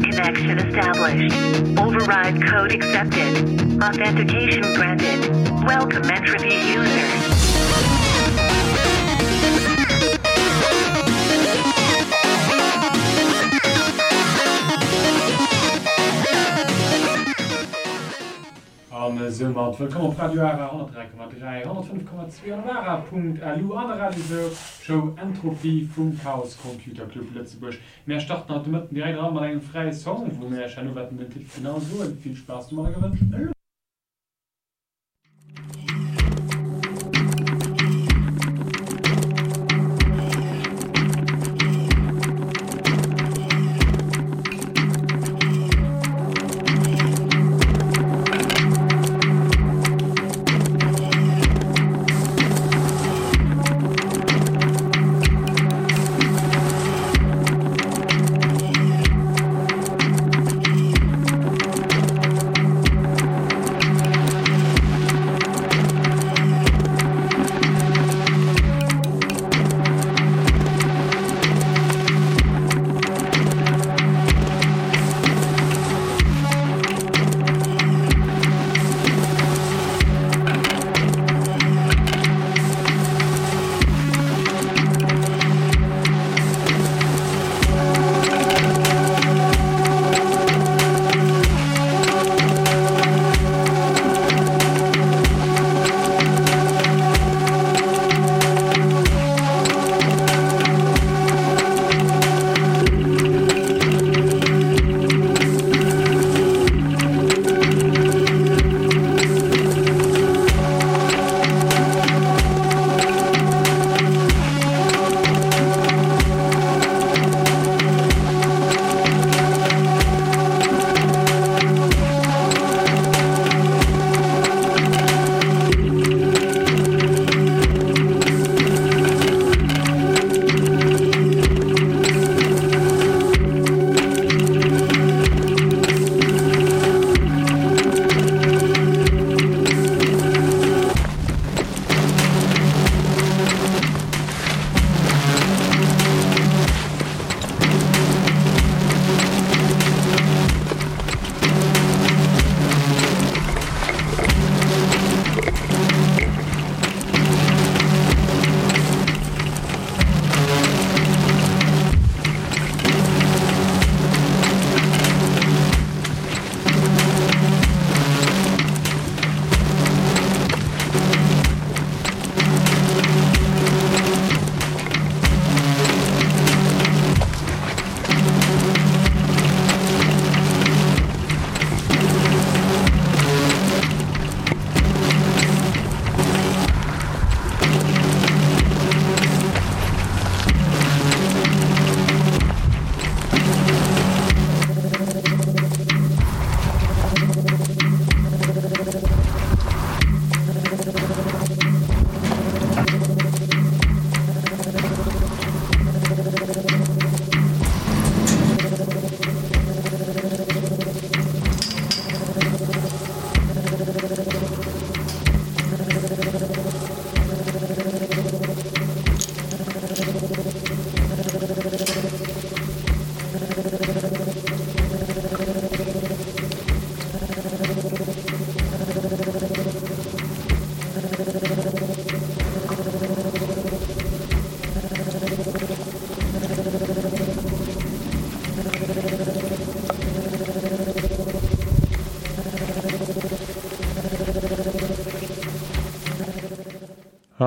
Connection established. Override code accepted. Authentication granted. Welcome entropy user. An soumat wëllkomm op Radio Ara 103,3, 105,2 an op ara.lu an der Radioshow Entropie vum Chaos Computer Club Lëtzebuerg. Mär starten haut de Mëtten direkt eran mat engem fräie Song, wou mär iech herno wäerten den Titel genau soen. Vill Spaass domadder gewënscht elo!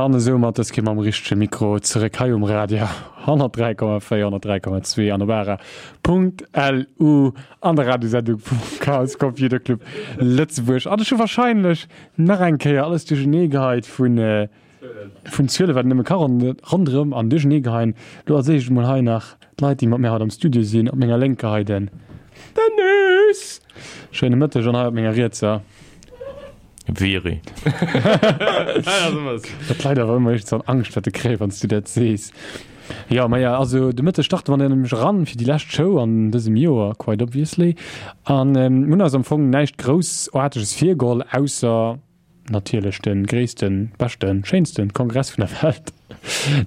An esou mat dës Kéier mam richtege Mikro zeréck hei um Radio 103,4, 103,2 an op ara.lu an der Radiosendung vum Chaos Computer Club Lëtzebuerg. An ech hu wahrscheinlech nach eng Kéier alles duerchenee geheit vun vun Zuele wat een nëmme ka ronderëm an duerchenee geheien. Lo als éischt emol hei nach d'Leit déi mat mir haut am Studio sinn. Op menger lénker hei den Dennis! Schéine Mëtteg an hei op menger rietser. Viri. Dat Leit awer ëmmer éischtens an Angscht wat de kréien, wann s du dat sees. Jo, maja, also de Mëtteg starte mer dann nämlech eran fir déi lescht Show an dësem Joer, quite obviously. An mir hunn eis am Fong näischt Groussaarteges virgeholl, ausser. Natierlech de gréissten, beschten, schéinsten Kongress vun der Welt.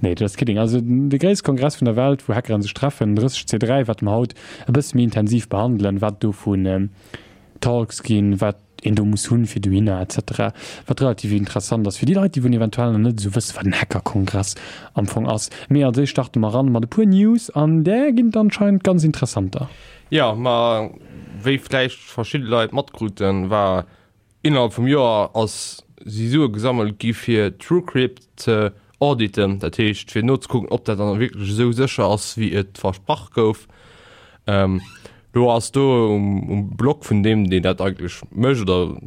Nee, just kidding. Also de gréisste Kongress vun der Welt, wou Hackeren sech treffen, 30C3, wat mer haut e bësse méi intensiv behandelen, wat do vun Talks ginn, wat een do muss hunn fir dohinner etc. Wat relativ interessant ass fir déi Leit, déi wou eventuell nach net esou wësse wat en Hackerkongress am Fong ass. Mee als éischt starte mer eran mat e puer News an där ginn et anscheinend ganz interessanter. Jo, ma wéi vläicht verschidde Leit matkruten, war innerhalb vum Joer ass si Sue gesammelt gi fir TrueCrypt ze auditen, dat heescht fir nozekucken, ob dat dann wierklech esou sécher ass wéi et versprach gouf. Do ass do um Blog vun deem, deen dat eigentlech mécht oder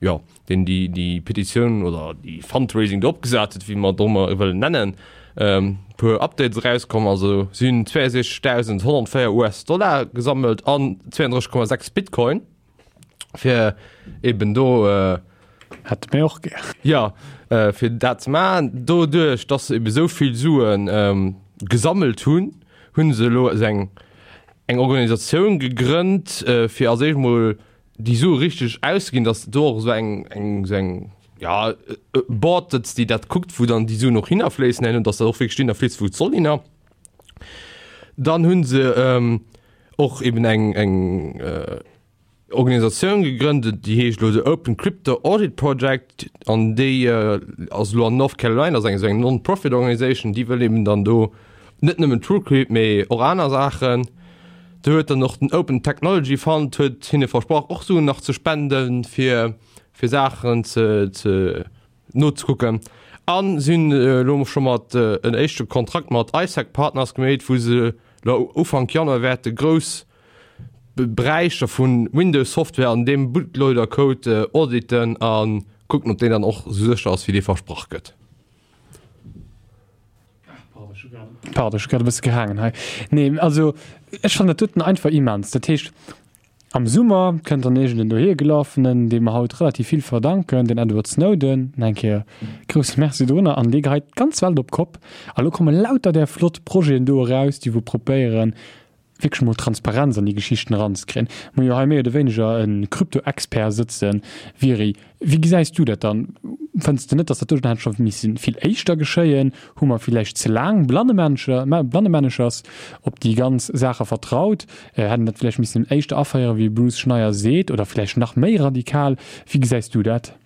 jo, deen déi déi Petitioun oder déi Fundraising do opgesat huet, wéi mer et och ëmmer wëllen nennen, e puer Updates erauskomm. Also si hunn 62.104 US-Dollar gesammelt an 32,6 Bitcoin. fir eben do äh, Hätte mir och gär. Ja, äh, fir dat ze maachen. Doduerch, dass se eben esou vill Suen ähm, gesammelt hunn, hunn se elo esou eng eng Organisatioun gegrënnt, äh, fir als éischt mol déi Sue richteg auszeginn, dass do och esou eng eng esou eng ja e Board sëtzt, déi dat kuckt, wou dann déi Suen och hinnerfléissen herno, dass dat och wierklech dohinner fléisst, wou et soll hinner. Dann hunn se ähm, och eben eng eng äh, Organisatioun gegrënnt, déi heescht elo The Open Crypto Audit Project an déi äh, ass elo an North Carolina, ass eng esou eng Non-Profit Organisation, déi wëll eben dann do net nëmmen TrueCrypt, mee och aner Saachen. Do huet dann och den Open Technology Fund huet hinne versprach och Suen nach ze spenden, fir fir Saachen ze ze nozekucken. An si hunn elo scho mat en éischte Kontrakt mat iSec Partners gemeet, wou se elo Ufank Januar wäerte grouss Beräicher vu Windows Software an deem Bootloader Code auditen a kucken, ob deen dann och esou sécher ass, wéi dee versprach gëtt. Pardon, ech hu grad e bësse gehaangen hei. Nee, also ech fannen dat doten einfach immens. Dat heescht, am Summer kënnt dann iergend en Dohier-Gelaffenen, deem mer haut relativ vill verdanken, den Edward Snowden, nach eng Kéier grousse Merci dorunner, an dee geheit d'ganz Welt op d'Kopp. A lo komme lauter där flott Projeten do eraus, déi wou probéieren, wierklech mol Transparenz an déi Geschichten eranzekréien. Mir hu jo hei méi oder wéineger e Krypto-Expert sëtzen. Viri, wéi gesäis du dat dann? Fënns de net, datt dat doten hätt scho misse vill éischter geschéien? Hu mer villäicht ze laang blannemänneschers op déi ganz Saache vertraut? Hätt een dat villäicht missen éischter aféieren, wéi Bruce Schneier seet, oder villäicht nach méi radikal? Wéi gesäis du dat?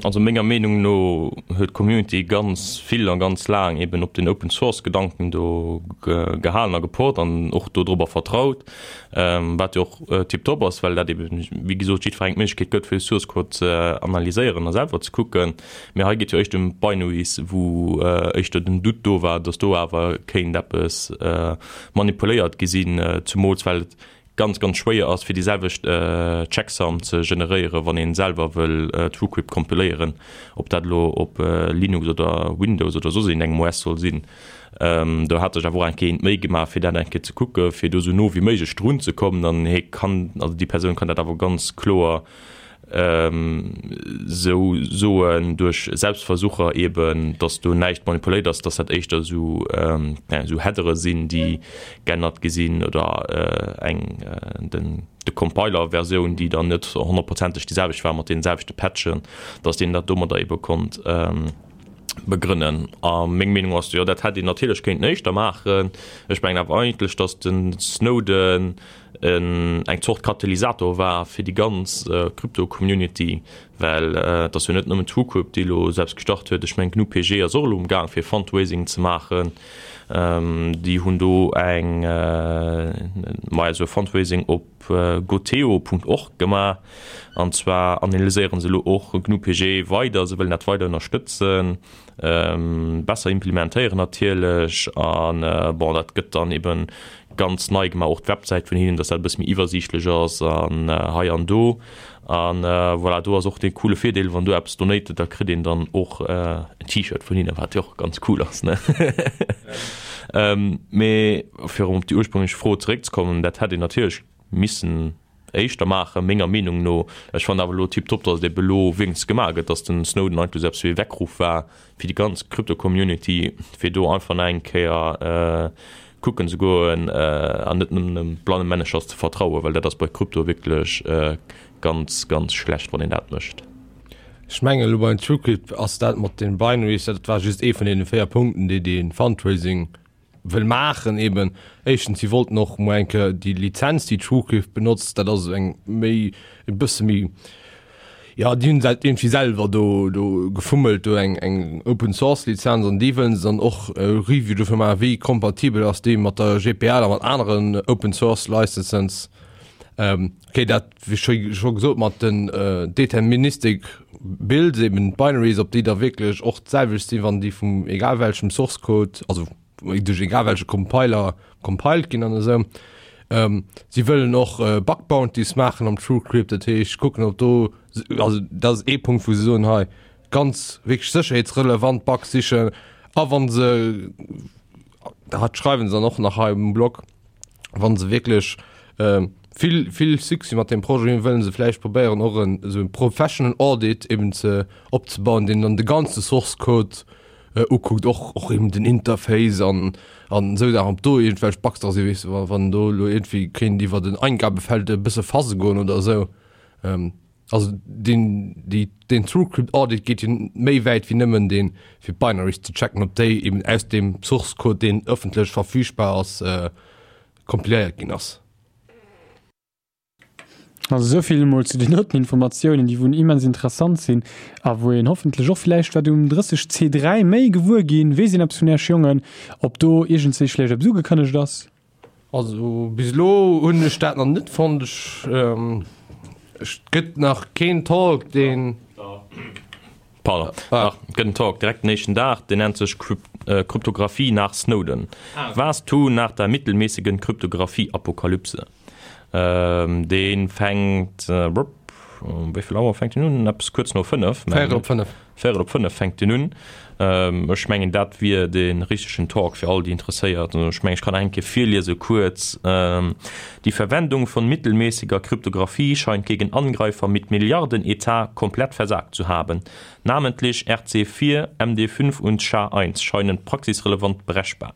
Also menger Meenung no huet d'Community ganz vill a ganz laang eben op den Open Source Gedanken do gehalen a gepocht an och do drobber vertraut, wat jo och tiptop ass, well dat eben wéi gesot jiddwerengem d'Méiglechkeet gëtt fir de Source Code ze analyséieren a selwer ze kucken. Mee hei geet jo éischter ëm d'Binaries, wou éischter den Doute do war, datt do awer kéint eppes manipuléiert gi sinn, zumools well et ganz ganz schwéier ass fir déi selwecht Checksum ze generéieren wann een selwer wëll TrueCrypt kompiléieren, ob dat elo op Linux oder Windows oder soss iergendengem OS soll sinn. Do hat sech awer och eng Kéier een d'Méi gemaach fir dat eng Kéier ze kucke fir do sou no wéi méiglech drun ze kommen an hie kann, also déi Persoun kann dat awer ganz kloer sou soen duerch Selbstversucher eben, datt do näischt manipuléiert ass, datt dat éischter esou esou Headere sinn, déi geännert gi sinn oder eng den de Compiler-Versioun, déi dann net honnertprozenteg déi selwecht war mat deene selwechte Patchen, datt deen dat domadder ebe konnt begrënnen. A meng Meenung ass, jo dat hätt een natierlech kéinten éischter maachen. Ech mengen awer eigentlech, datt de Snowden eng Zort Katalysator war fir déi ganz Krypto-Community, well et ass jo net nëmmen TrueCrypt, déi elo selbst gestart huet. Ech mengen GnuPG ass och elo um Gaang fir Fundraising ze maachen. Déi hunn do eng, maja esou e Fundraising op goteo.org gemaach an zwar analyséiere se elo och GnuPG weider, se wëllen dat weider ënnerstëtzen. besser implementéieren natierlech an bon dat gëtt dann eben ganz nei gemaach, och d'Websäit vun hinnen, dass dat e bësse méi iwwersiichtlech ass an hei an do an voilà, do ass och dee coole Virdeel, wann do eppes donated, da kritt een dann och en T-Shirt vun hinnen, wat jo och ganz cool ass ne. Mee fir erëm op déi ursprünglech Fro zeréckzekommen, dat hätt een natierlech missen éischter maachen, menger Meenung no. Ech fannen awer elo tiptop, datt et ebe elo wéinstens gemaach gëtt, datt den Snowden eigentlech esou eppes wéi e Weckruff war fir déi ganz Krypto-Community, fir do einfach nach eng Kéier kucken ze goen an net nëmmen blanne Männercher ze vertrauen, well dat ass bei Krypto wierklech ganz, ganz schlecht, wann een dat mécht. Ech mengen elo beim TrueCrypt ass dat mat den Binaries, dat war just ee vun deene 4 Punkten, déi dee Fundraising wëll maachen eben. Éischtens, si wollten och mol eng Kéier déi Lizenz, déi TrueCrypt benotzt, dat ass eng méi, e bësse méi, jo, déi hunn se halt iergendwéi selwer do, do gefummelt, do eng, eng Open Source Lizenz an déi wëllen se dann och e Review dofir maachen, wéi kompatibel ass déi mat der GPL a mat aneren Open Source Licenses. Okay, dat wéi scho scho gesot mat den deterministic Builds, eben d'Binaries, ob déi da wierklech och d'selwecht sinn, wann déi vum egal welchem Source Code, also duerch egal welche Compiler compiled ginn an esou. Si wëllen och Bug Bounties maachen am TrueCrypt, dat heescht kucken, ob do, also dat ass ee Punkt, wou se soen, hei ganz wierklech sécherheetsrelevant Bugs sichen a wa se, dat schreiwen se dann och nach hei um Blog, wann se wierklech vill vill Succès mat deem Projet hunn, wëllen se vläicht probéieren och en esou en professional Audit eben ze opzebauen, deen dann de ganze Source Code ukuckt, och och eben den Interface an an esou Saachen, ob do iergendwelch Bugs dra sinn, weess de, wa wann do elo iergendwéi kéint iwwert en Eingabefeld e bësse fuzze goen oder esou. Also deen déi deen TrueCrypt Audit geet jo méi wäit wéi nëmmen deen fir d'Binaries ze checken, ob déi eben aus deem Source Code deen ëffentlech verfügbar ass kompiléiert ginn ass. Also esou vill emol zu den doten Informatiounen, déi wou immens interessant sinn a wou een hoffentlech och villäicht wat um 30 C3 méi gewuer ginn. Weess een eppes vun Iech Jongen, ob do iergendswéi vläicht eppes ugekënnegt ass? Also bis elo hunn ech dat nach net fonnt. Ech et gëtt nach keen Talk deen. Pardon, dach et gëtt en Talk direkt den éischten Dag, deen nennt sech Kryptographie nach Snowden, Was tun nach der mittelmäßigen Kryptographie-Apokalypse. Dee fänkt, wéi vill Auer fänkt deen un? Eppes kuerz no 5, mengen ech. Véierel op 5. Véierel op 5 fänkt deen un. Ech mengen, dat wier dee richtegen Talk fir all déi Interesséiert. Ech mengen, ech kann nach eng Kéier virliese kuerz, Die Verwendung von mittelmäßiger Kryptographie scheint gegen Angreifer mit Milliardenetat komplett versagt zu haben. Namentlich RC4, MD5 und SHA-1 scheinen praxisrelevant brechbar.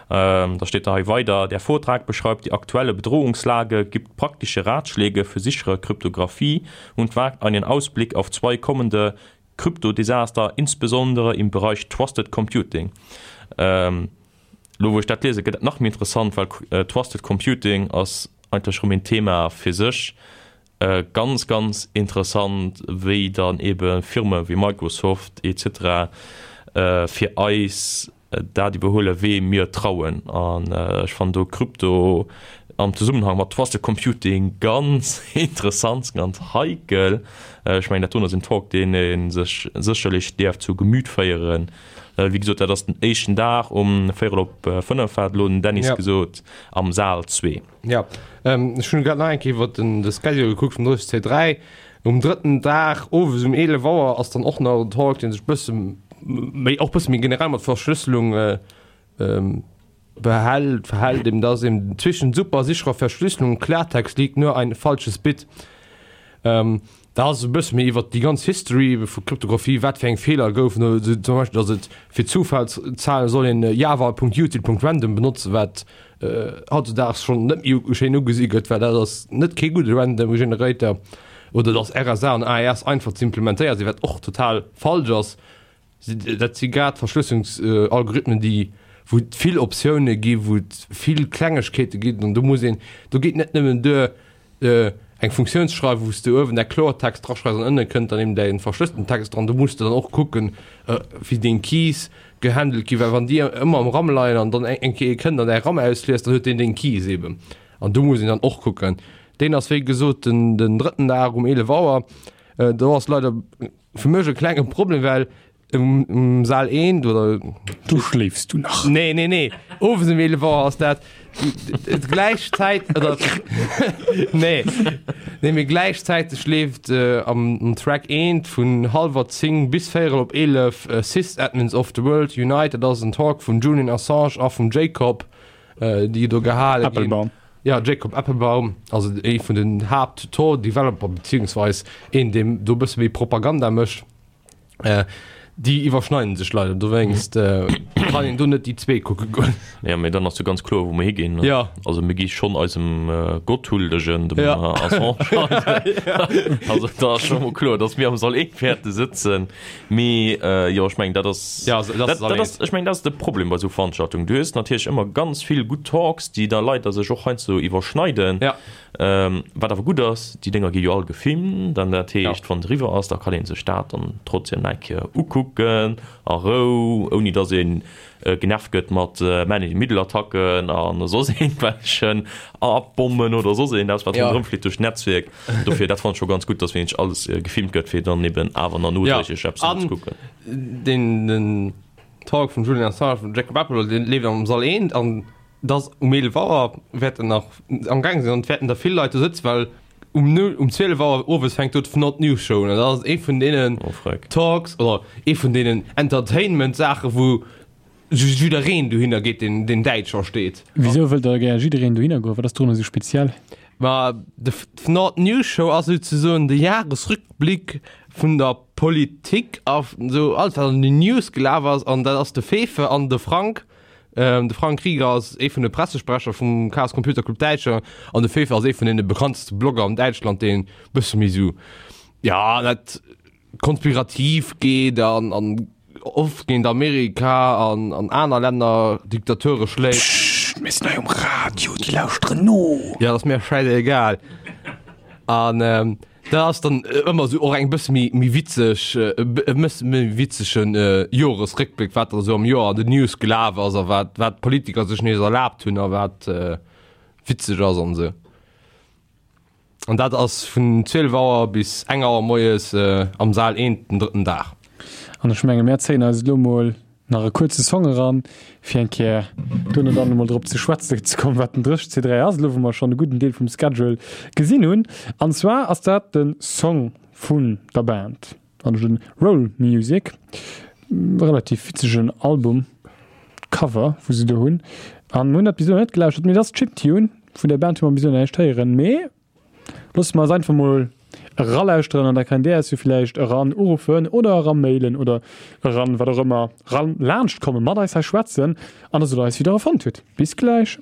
Da steet da hei weider, Der Vortrag beschreibt die aktuelle Bedrohungslage, gibt praktische Ratschläge für sichere Kryptographie und wagt einen Ausblick auf zwei kommende Kryptodesaster, insbesondere im Bereich Trusted Computing. Elo wou ech dat liesen, gëtt et nach méi interessant, well Trusted Computing ass eigentlech erëm een Thema fir sech. Ganz, ganz interessant, wéi dann ebe Firme wéi Microsoft et cetera fir eis dat iwwerhuelen, wee mir trauen. An ech fannen do Krypto am Zesummenhang mat Trusted Computing ganz interessant, ganz heikel. Ech mengen, dat doen ass en Talk, deen ee sech sécherlech däerf zu Gemüt féieren. Wéi gesot, dat ass den éischten Dag um véierel op 5, hat elo den Dennis gesot, am Saal 2. Jo, ech hunn grad nach eng Kéier iwwer den de Schedule gekuckt vum 30C3. Um drëtten Dag owes um 11 Auer ass dann och nach en Talk, dee sech bësse méi, och bësse méi generell mat Verschlësselung behält, verhält. Eben, dat ass eben zwischen super sicherer Verschlüsselung und Klartext liegt nur ein falsches Bit. Da ass e bësse méi iwwert déi ganz History vu Kryptographie, wat fir eng Feeler goufen, zum Beispill, datt et fir Zufallszahlen soll een java.util.random benotzen, wat hautzedaags schonn net méi schéin ugesi gëtt, well dat ass net kee gudde Random Generator, oder datt RSA an AES einfach ze implementéiert sinn, wat och total falsch ass. Dat si grad Verschlësselungsalgorithmen, déi, wou et vill Optioune gi, wou et vill Klengegkeete ginn an do muss een, do geet net nëmmen duer eng Funktioun ze schreiwen, wou s de uewen däi Kloertext draschreifs an ënne kënnt dann eben däi verschlësselten Text dran. Do muss de dann och kucken, wéi deng Keys gehandelt ginn, well wann déi ëmmer am RAM leien an dann eng Kéier ee kënnt an däi RAM ausliest, dann huet deen deng Keys eben an do muss een dann och kucken. Deen ass wéi gesot den drëtten Dag um 11 Auer. Do ass leider Fir mech e klenge Problem, well um, um Saal 1 oder Du schléifs du nach. Nee, nee, nee. Owes um 11 Auer ass dat gläichzäit oder nee. Nee, mee gläichzäiteg leeft äh, am, am Track 1 vun hallwer 10 bis véierel op 11 äh, Sysadmins of the World Unite. Dat ass en Talk vum Julian Assange a vum Jacob, äh, déi do gehale ginn. Applebaum. Ja, Jacob Appelbaum, also ee vun den Haapt-Tor-Developer, beziehungsweis een, deen do e bësse méi Propaganda mécht. Déi iwwerschneiden sech leider, dowéinst kann een do net déi zwee kucke goen. Ja, mee dann ass jo ganz kloer, wou mer higinn. Ja. Also mir gi schonn eisem Gott huldegen, dem Ja. Assange. Also da ass scho mol kloer, datt mir am Sall 1 wäerte sëtzen. Mee jo, ech mengen, dat ass, Ja, also, dat ass dat, dat ass, ech mengen, dat ass de Problem bei esou Veranstaltungen. Du hues natierlech ëmmer ganz vill gutt Talks, déi da leider sech och heiansdo iwwerschneiden. Ja. Wat awer gutt ass, déi Dénger gi jo all gefilmt an dat heescht, wann et eriwwer ass, da kann ee sech dat dann trotzdem nach eng Kéier ukucken a Rou, ouni datt ee genervt gëtt mat Man-in-the-Middle-Attacken a soss iergendwellechen Atombommen oder soss iergendeppes, wat ronderëm flitt duerch d'Netzwierk. Dofir, dat fannen ech scho ganz gutt, datt wierklech alles gefilmt gëtt, fir dann eben awer nach nodréiglech eppes ze kucken. An den Talk vum Julian Assange, vum Jacob Appel, dee leeft am Sall 1 an Dass um 11 Auer wäerten nach am gaang sinn an et wäerten der vill Leit do sëtzen, well um null, um 12 Auer owes fänkt do d'Fnord News Show un an dat ass ee vun deenen Oh freck. Talks oder ee vun deenen Entertainment Saache wou jiddereen dohinner geet deen deen Däitsch versteet. Wisou wëllt da gär jiddereen dohinner goen? Wat ass dorunner esou speziell? Ma de d'Fnord News Show ass souzesoen de Jahresrückblick vun der Politik a sou alles wat an den News gelaf ass an dat ass de Fefe an de Frank De Frank Rieger ass ee vun de Pressesprecher vum Chaos Computer Club Däitschland an de Fefe ass ee vun deene bekannteste Blogger an Däitschland, deen e bësse méi sou, ja, net konspirativ geet an an oft géint Amerika an an aner Länner Diktature schléit. Pssst, mir sinn hei um Radio, déi lauschteren no. Ja, dat ass mir schäisegal. An Dat ass dann ëmmer esou och eng bësse méi méi witzeg e bësse méi witzegen Joresréckbléck, wat da sou am Joer an den News gelaf ass a wat wat d'Politiker sech nees erlaabt hunn a wat witzeg ass an esou. An dat ass vun 12 Auer bis eng Auer moies am Saal 1 den drëtten Dag. An ech menge mär zéien eis elo mol nach e kuerze Song eran, fir eng Kéier duerno dann emol drop ze schwätze ze kommen, wat den 30C3 ass, elo wou mer schonn e gudden Deel vum Schedule gesinn hunn. An zwar ass dat de Song vun der Band, also de Roll Music, relativ witzegen Album Cover, wou se do hunn. An mir hunn dat bis elo net gelauschtert, mee dat ass Chiptune, vun der Band hu mer bis elo näischt héieren, mee Loosse mer eis einfach mol eralauschteren an da kennt Dir eis jo villäicht eran uruffen oder eramailen oder eran wat och ëmmer ran laanscht kommen, mat eis hei schwätzen an da sot eis wéi Der e fonnt hutt. Bis gläich.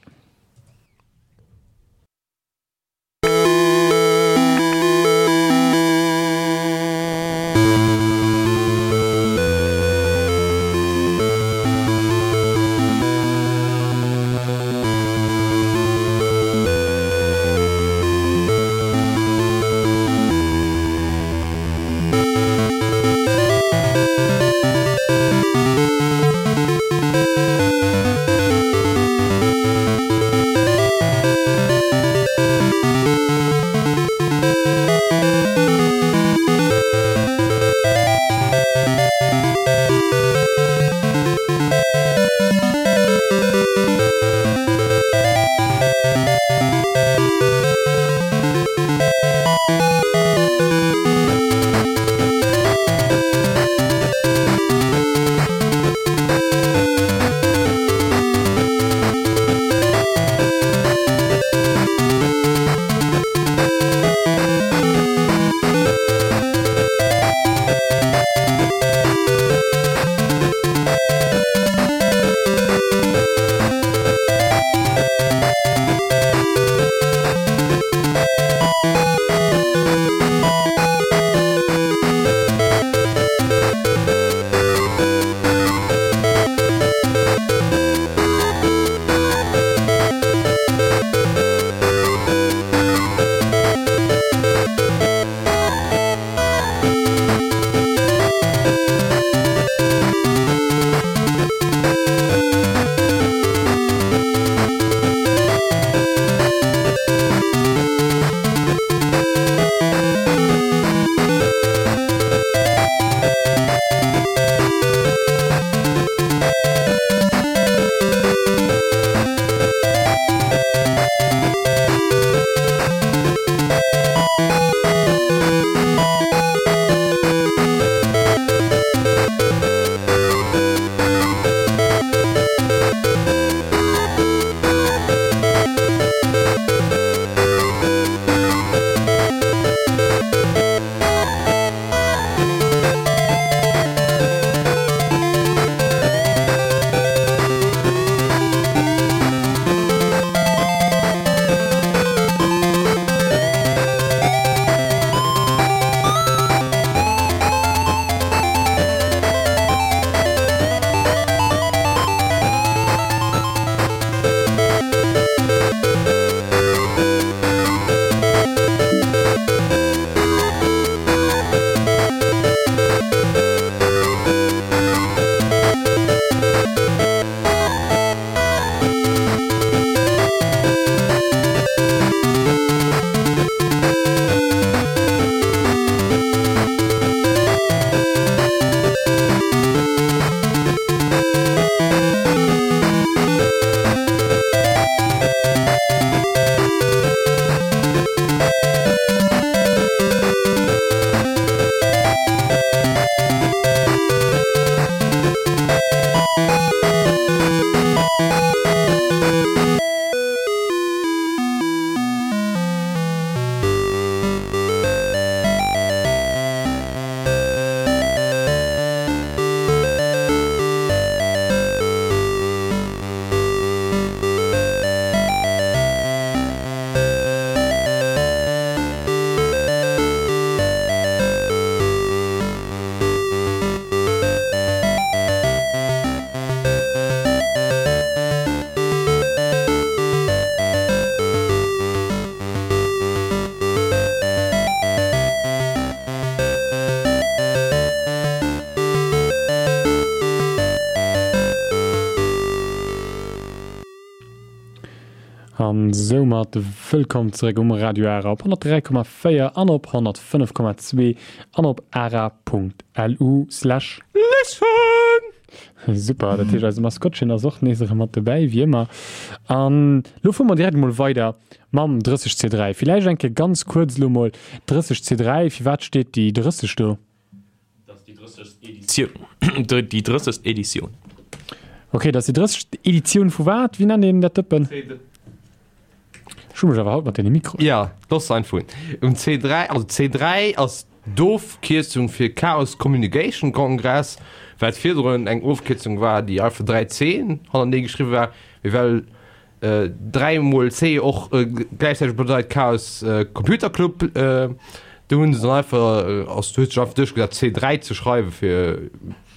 An soumat wëllkomm zeréck um Radio Ara op 103,4 an op 105,2 an op ara.lu slash. Listen! Super, dat heescht eise Maskottchen ass och nees erëm mat dobäi, wéi ëmmer. An lo fuere mer direkt emol weider mam 30C3. Villäicht eng Kéier ganz kuerz elo mol, 30C3, firwat steet déi 30 do? Dat ass déi 30. Editioun. Déi 30. Editioun. Ok, dat ass déi 30. Editioun vu wat? Wéi nennt een dat Dëppen? Ech hu mech awer haut mat deene Mikroen. Ja, looss einfach hunn. Um C3, also C3 ass d'Ofkierzung fir Chaos Communication Congress, wat virdrun eng Ofkierzung war, déi einfach 3 Cen hannertenee geschriwwe war, mee well 3 mol C och gläichzäiteg bedeit Chaos Computer Club. Do hunn se dann einfach, ass huet sech einfach duerchgesat C3 ze schreiwe fir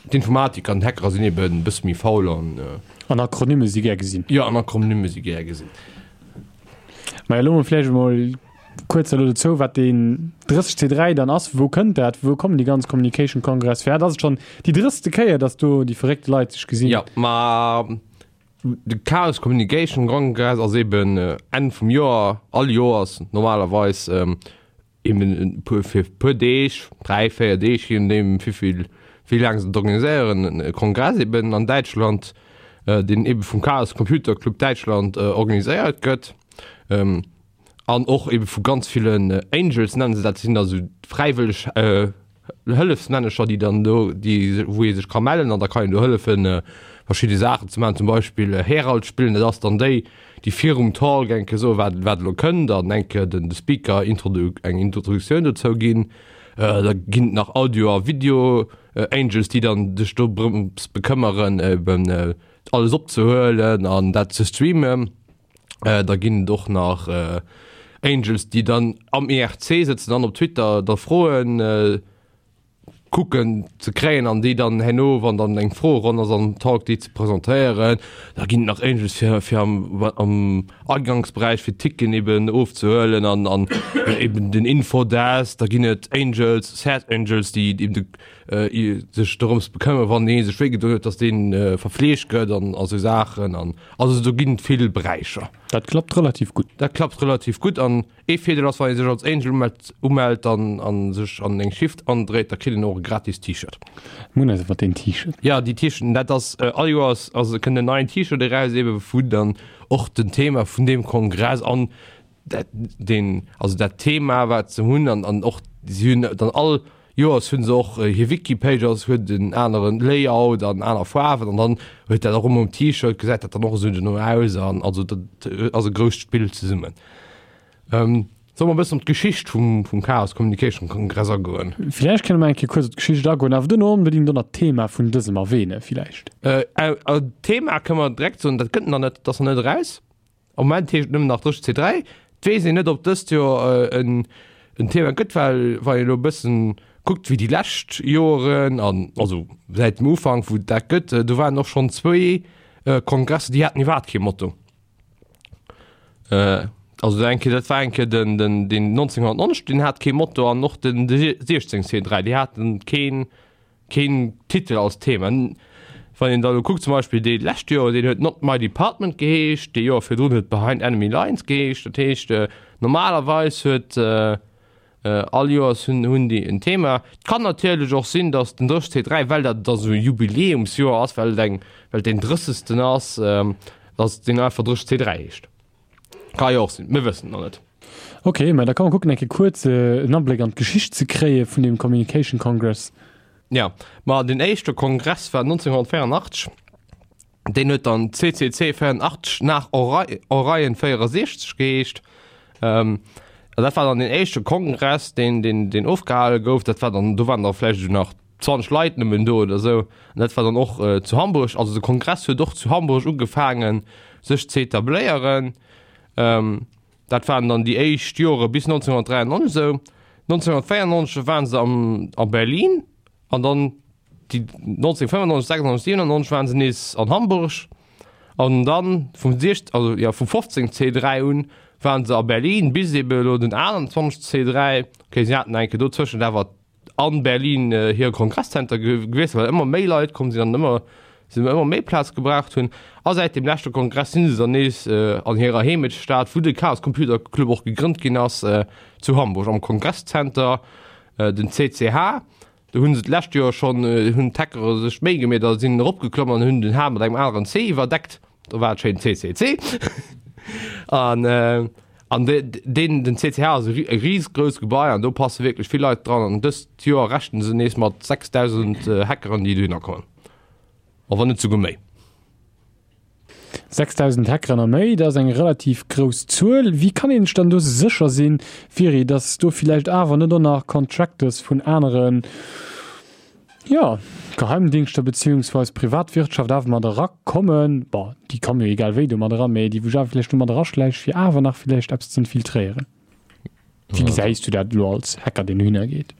d'Informatiker an d'Hackerer sinn eben e bësse méi faul an. An Akronyme si gär gesinn. Jo, an Akronyme si gär gesinn. Maja, elo mol vläicht emol kuerz elo dozou, wat deen 30 C3 dann ass. Wou kënnt dat? Wou kommen déi ganz Communication Congress? Firwat ass et schonn déi drësste Kéier, datt do déi verréckte Leit sech gesinn? Jo, ma De Chaos Communication Congress ass eben Enn vum Joer, all Joers normalerweis, eben e puer fir e puer Deeg, 3, 4 Deeg, je nodeem wéivill, wéi laang se et organiséieren, e Kongress eben an Däitschland, deen eben vum Chaos Computer Club Däitschland organiséiert gëtt. An och ebe vu ganz villen Angels nennen se dat, sinn da sou fräiwëlleg Hëllefsmännecher, déi dann do, déi wou ee sech ka mellen an da kann een do hëllefen verschidde Saachen ze maachen, zum Beispill Herald spillen, dat ass dann déi, déi virum Talk eng Kéier soen, wat wat elo kënnt an eng Kéier den de Speaker introdu eng Introduktioun dozou ginn. Da ginn et nach Audio a Video Angels, déi dann sech dorëms bekëmmeren eben alles opzehuelen an dat ze streamen. Da ginn et och nach Angels, déi dann am IRC sëtzen an op Twitter da Froen kucken ze kréien an déi dann herno, wann dann eng Froeronn ass am Talk, déi ze presentéieren. Da ginn et nach Angels fir fir am am Agangsberäich fir d'Ticketen eben ofzehuelen an an eben den Infodesk. Da ginn et Angels, Sad Angels, déi eben de sech dorëms bekëmmere wann ee sech wéi gedoen huet, datt dee verfleegt gëtt an a sou Saachen an also do ginn et vill Beräicher. Dat klappt relativ gutt. Dat klappt relativ gutt an ee Virdeel ass, wann ee sech als Angel umellt, umellt an a sech an eng Shift andréit, da kritt een och e gratis T-Shirt. Mir hunn eis iwwer deen T-Shirt. Jo, déi T-Shirten, dat ass all Joers ass kënnt en neien T-Shirt eraus, ebe wou dann och den Thema vun deem Kongress an dat deen also dat Thema wat se hunn an an och si hunn dann all Joers hunn se och hir Wiki-Page ass huet en aneren Layout an aner Faarwen an dann huet dat och ëmmer um T-Shirt gesäit dat dann och esou dono aus an also dat ass e grousst Spill zesummen. Solle mer e bëssen op d'Geschicht vum vum Chaos Communication Kongress agoen? Villäicht kënne mer eng Kéier kuerz op d'Geschicht agoen, awer duerno onbedéngt och nach d'Thema vun dësem erwähne villäicht. D'Thema kënne mer direkt soen, dat gëtt nach net, dat ass nach net eraus. Am Moment heescht et nëmmen nach 30 C3. Et weess een net, ob dëst Joer en Thema gëtt, well wann een elo e bëssen kuckt, wéi déi lescht Joeren an also säit dem Ufank wou et dat gëtt, do waren och schonn zwéi Kongresser, déi haten iwwerhaapt kee Motto. Also eng Kéier, dat war eng Kéier den den deen 1990, deen hat kee Motto an och den 16 C3, déi haten keen Keen Titel als Thema. Wann een da lo kuckt, zum Beispill dee lescht Joer, deen huet Not My Department geheescht, dee Joer virdrun huet Behind Enemy Lines geheescht. Dat heescht, normalerweis huet all Joers hunn hunn déi en Thema. Et kann natierlech och sinn, datt den 30C3, well dat da sou e Jubiläumsjoer ass, well et eng, well et deen drëssegsten ass, datt deen einfach 30C3 heescht. Ka jo och sinn, mir wëssen et nach net. Ok, mä da kann mer kucken eng Kéier kuerz en Abléck an d'Geschicht ze kréie vun deem Communication Congress. Jo, ma deen éischte Kongress war 1984, deen huet dann CCC 84 nach Orion 64 geheescht. An dat war dann deen éischte Kongress, deen, deen, deen ofgehale gouf. Dat war dann, do waren da vläicht esou nach 20 Leit nëmmen do oder esou. An dat war dann och zu Hamburg. Also de Kongress huet och zu Hamburg ugefaangen, sech ze etabléieren. Dat waren dann déi éischt Jore bis 1993 esou. 1994 waren se am a Berlin an dann déi 1995, 96, 97 waren se nees an Hamburg an dann vum 6, also jo vum 15 C3 un waren se a Berlin bis ebe elo den 21 C3. Okay, si haten eng Kéier dozwëschent awer an Berlin hire Kongresszenter gewiesselt, well ëmmer méi Leit komm sinn an ëmmer. se ëmmer méi Plaz gebraucht hunn. A säit dem leschte Kongress sinn se dann nees an hirer Heemechtsstad, wou de Chaos Computer Club och gegrënnt ginn ass, zu Hamburg am Kongresszenter, den CCH. Do hunn se d'lescht Joer schonn, hunn d'Hackere sech d'Méi gemeet a sinn eropgeklomm an hunn den H mat engem aneren C iwwerdeckt. Do war et schéin CCC. An an deen, den CCH ass e risegrouss Gebai an do passe wierklech vill Leit dran. An dëst Joer rechnen se nees mat 6.000 Hackeren, déi dohinner kommen, a wann net souguer méi. 6.000 Hackeren a méi, dat ass eng relativ grouss Zuel. Wéi kann een sech dann do sécher sinn, Viri, datt do villäicht awer net och nach Contractors vun aneren, jo, Geheimdingschter beziehungsweis Privatwirtschaft awer mat erakommen? Bon, déi komme jo egal wéi do mat eran, mä déi wou sech awer villäicht do mat eraschläiche fir awer nach villäicht eppes z'infiltréieren. Wéi gesäis du dat elo als Hacker, deen dohinner geet?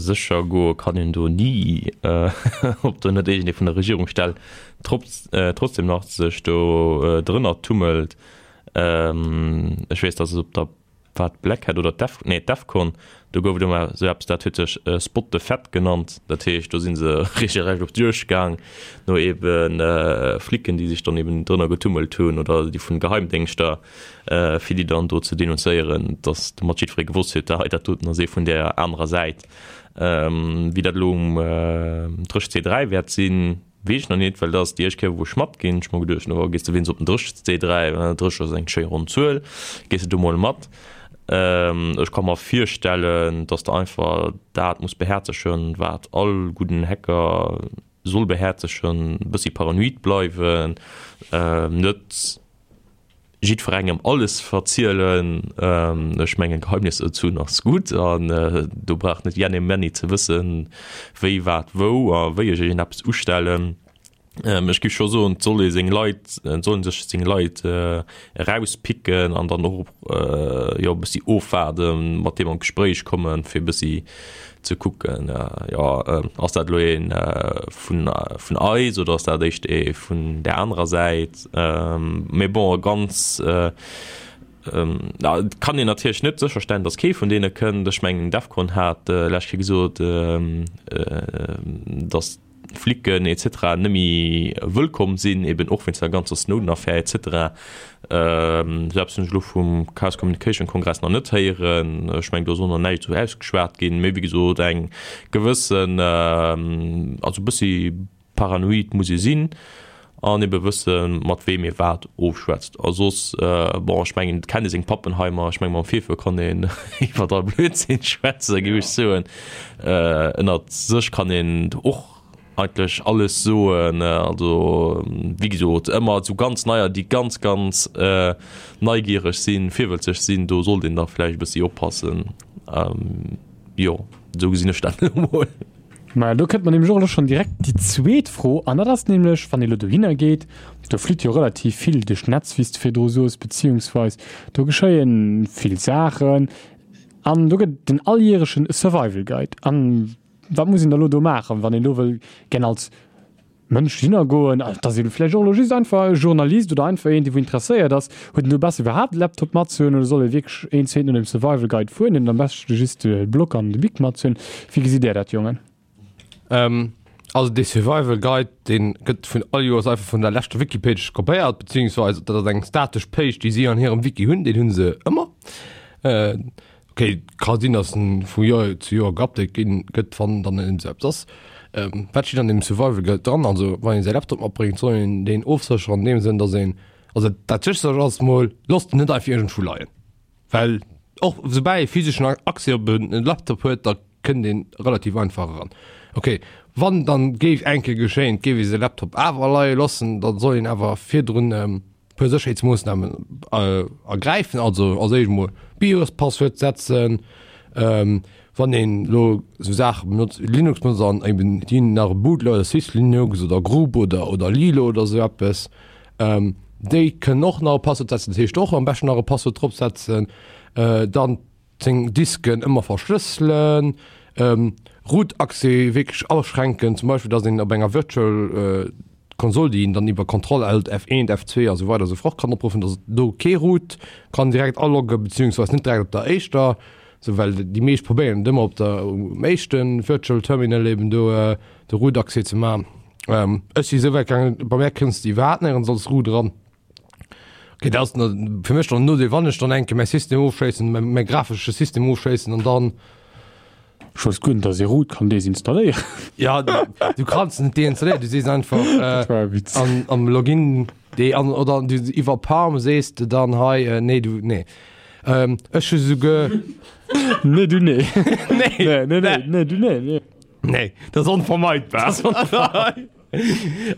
Sécher goe kann een do ni, ob do net iergendee vun der Regierungsstell trotzdem nach sech do drënner tummelt. Ech weess, datt et op der, war et Black Hat oder d'Def, nee d'Defcon, do gouf et ëmmer esou eppes, dat huet sech Spot the Fed genannt. Dat heescht, do si se regelrecht op d'Juegd gaang no ebe Flicken, déi sech dann eben drënner getummelt hunn oder déi vun Geheimdéngschter. fir déi dann do ze denunzéieren, dass domat jiddweree gewosst huet, hei dat doten ass ee vun där anerer Säit. Wéi dat elo um 30C3 wäert sinn, weess ech nach net, well dat ass déi éischt Kéier, wou ech matginn. Ech hu mer geduecht, no gees de wéinst op den 30C3, 30 ass eng schéi ronn Zuel, gees de do mol mat. Ech ka mer virstellen, dass de einfach dat muss behäerzegen, wat all gudden Hacker soll behäerzegen, e bëssi paranoid bleiwen, net jiddwerengem alles verzielen. Ech mengen Geheimnisser ze hunn ass gutt an do brauch net Jenny Menny ze wëssen, wéi, wat, wou a wéi ech iergendeppes ustellen. Ech géif scho soen, et soll ee seng Leit, et soll ee sech seng Leit erauspicken an dann och jo e bëssi ofwaarden, mat deem an d'Gespréich kommen, fir e bëssi ze kucken, jo ass dat elo ee vun vun eis oder ass dat éischt ee vun där anerer Säit. Mee bon, ganz et kann een natierlech net sécherstellen, datt kee vun deene kënnt. Ech mengen DEFCON hat d'lescht Kéier gesot, datt Flicken etc. Net méi wëllkomm sinn, eben och wéinst der ganzer Snowden-Affär etc. Esou eppes hunn ech elo vum Chaos Communication Kongress nach net héieren. Ech mengen, do ass och nach näischt esou ausgeschwat ginn. Mee wéi gesot, eng gewëssen, also e bëssi paranoid muss ee sinn an ebe wëssen, mat weem ee wat ofschwätzt. A soss, bon, ech mengen, et kennt ee seng Pappenheimer. Ech menge mam Fefe kann een iwwer all Blödsinn schwätzen, géif ech soen. Ënnert sech kann een och eigentlech alles soen. Also, wéi gesot, ëmmer esou ganz neier, déi ganz, ganz neigiereg sinn, virwëlzeg sinn, do sollt een da vläicht e bëssi oppassen. Jo, esou gesinn ech dat elo mol. Maja, do kënnt mer nämlech och elo schonn direkt déi zweet Fro, an dat ass nämlech, wann ee elo dohinner geet, do flitt jo relativ vill duerch d'Netz, wéi s de virdru soos, beziehungsweis do geschéie vill Saachen an do gëtt et den alljärechen Survival Guide. An wat muss een da elo do maachen, wann een do wëll gär als Mënsch hinner goen, et ass ebe vläicht och elo just einfach e Journalist oder einfach een, dee wou interesséiert ass, huet en do besser iwwerhaapt e Laptop matzehunn oder soll e wierklech een zweeten no dem Survival Guide fueren an am beschte just de Block an de Bic matzehunn? Wéi gesitt Där dat, Jongen? Also dee Survival Guide, dee gëtt vun all Joers einfach vun der leschter Wiki-Page kopéiert, beziehungsweise dat ass eng statesch Page, déi si an hirem Wiki hunn, deen hu se ëmmer. Ok, ka sinn, datt en vu Joer zu Joer geupdate ginn gëtt, wann dann en esou eppes ass. Wat steet an deem Survival Guide dran? Also wann een säi Laptop matbréngt, soll een deen ofsécheren an deem Sënn, datt een, also dat Sécherst ass mol, loosst en net einfach iergendwou leien, well och soubal ee physeschen Accès op en Laptop huet, da kënnt een relativ einfach eran. Ok, wann dann géif eng Kéier geschéien, et géif ee säi Laptop awer leie loossen, da soll een awer virdrun puer Sécherheetsmoossnamen ergräifen, also als éischt emol BIOS-Passwuert setzen, wann een elo esou Saache benotzt, Linux benotzt an eben déi nach e Bootloader, Syslinux oder Grub oder oder Lilo oder esou eppes, déi kënnen och nach e Passwuert setzen, dat heescht och am beschten nach e Passwuert drop setzen, dann seng Disken ëmmer verschlësselen, Root-Accès wierklech aschränken, zum Beispill datt een op enger Virtual Konsol, déi een dann iwwer Control Alt F1, F2 a sou weider a sou fort kann opruffen, datt do kee Root kann direkt alogge beziehungsweis net direkt op der éischter, sou well déi meescht probéieren et ëmmer op der um éischte Virtual Terminal eben do de Root-Accès ze maachen. Ech si esou wäit gaangen, bei mär kënns de iwwerhaapt néierens als Root eran. Okay, dat ass fir mech dann en Nodeel, wann ech dann eng Kéier mäi System ofschléissen, mäi mäi grafesche System ofschléissen an dann. Ech wousst guer net, dass ee Root kann desinstalléieren. Ja, du kanns en net deinstalléieren, du sees einfach Dat war e Witz. an am Login dee an oder du iwwer Palm sees de dann hei, nee du nee. Ech hu souguer. Nee du nee. Nee. Nee, nee, nee, nee du nee, nee. Nee, dat ass onvermeidbar.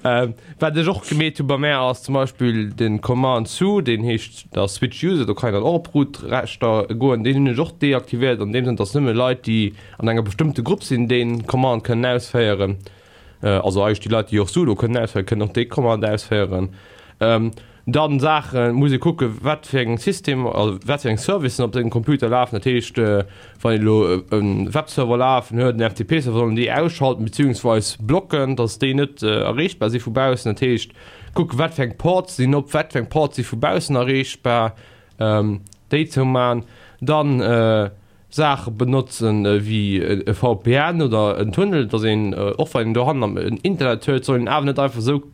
Ähm, wat ech och gemeet hu bei mär ass zum Beispill den Command su, deen heescht da Switch User, do kann een dann och op Root-Rechter goen, deen hunn ech och deaktivéiert an deem Sënn, dass nëmme Leit, déi an enger bestëmmte Grupp sinn, dee Command kënnen ausféieren. Äh, also eigentlech déi Leit, déi och sudo kënnen ausféieren, kënnen och dee Command ausféieren. Ähm, Dann Saachen, muss ee kucken, wat fir eng System, also wat fir eng Servicen op sengem Computer lafen. Dat heescht, wann een elo e Webserver lafen huet, en FTP-Server, soll en déi ausschalten beziehungsweis blocken, dass déi net erreechbar si vu baussen. Dat heescht, kucken, wat fir eng Ports sinn op, wat fir eng Ports si vu baussen erreechbar, déi zouman. Dann Saache benotzen ewéi e VPN oder en Tunnel, dass een, och wann een dohannen en Internet huet, soll een awer net einfach esou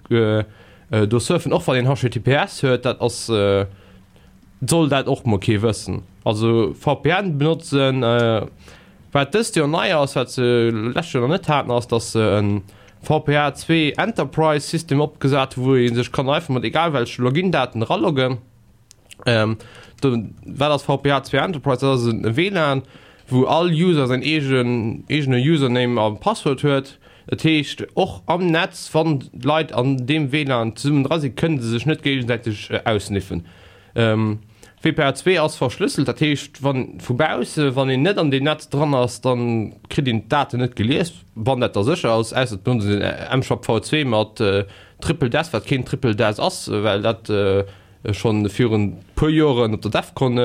do surfen, och wann een HTTPS huet, dat ass, soll dat och mol kee wëssen. Also VPN benotzen. Wat dëst Joer nei ass, wat se lescht Joer nach net haten, ass, dass se e VPA 2 Enterprise System opgesat hu wou ee sech kann einfach mat egal welche Login-Daten eraloggen. Ähm, do, wat ass VPH2 Enterprise? Dat ass en WLAN, wou all User säin eegen, eegene Username a Passwuert huet. Dat heescht, och am Netz, wann d'Leit an deem WLAN zesummen dra sinn, kënne se sech net géigesäiteg äh, aussniffen. Ähm, WPA2 ass verschlësselt, dat heescht, wann vu bausse, wann een net an deem Netz dran ass, dann kritt een d'Daten net gelies, wann dat da sécher ass, ausser et benotzt een MSHAP V2 mat äh, Triple DES, wat keen Triple DES ass, well dat äh, schonn virun puer Joren op der Defcon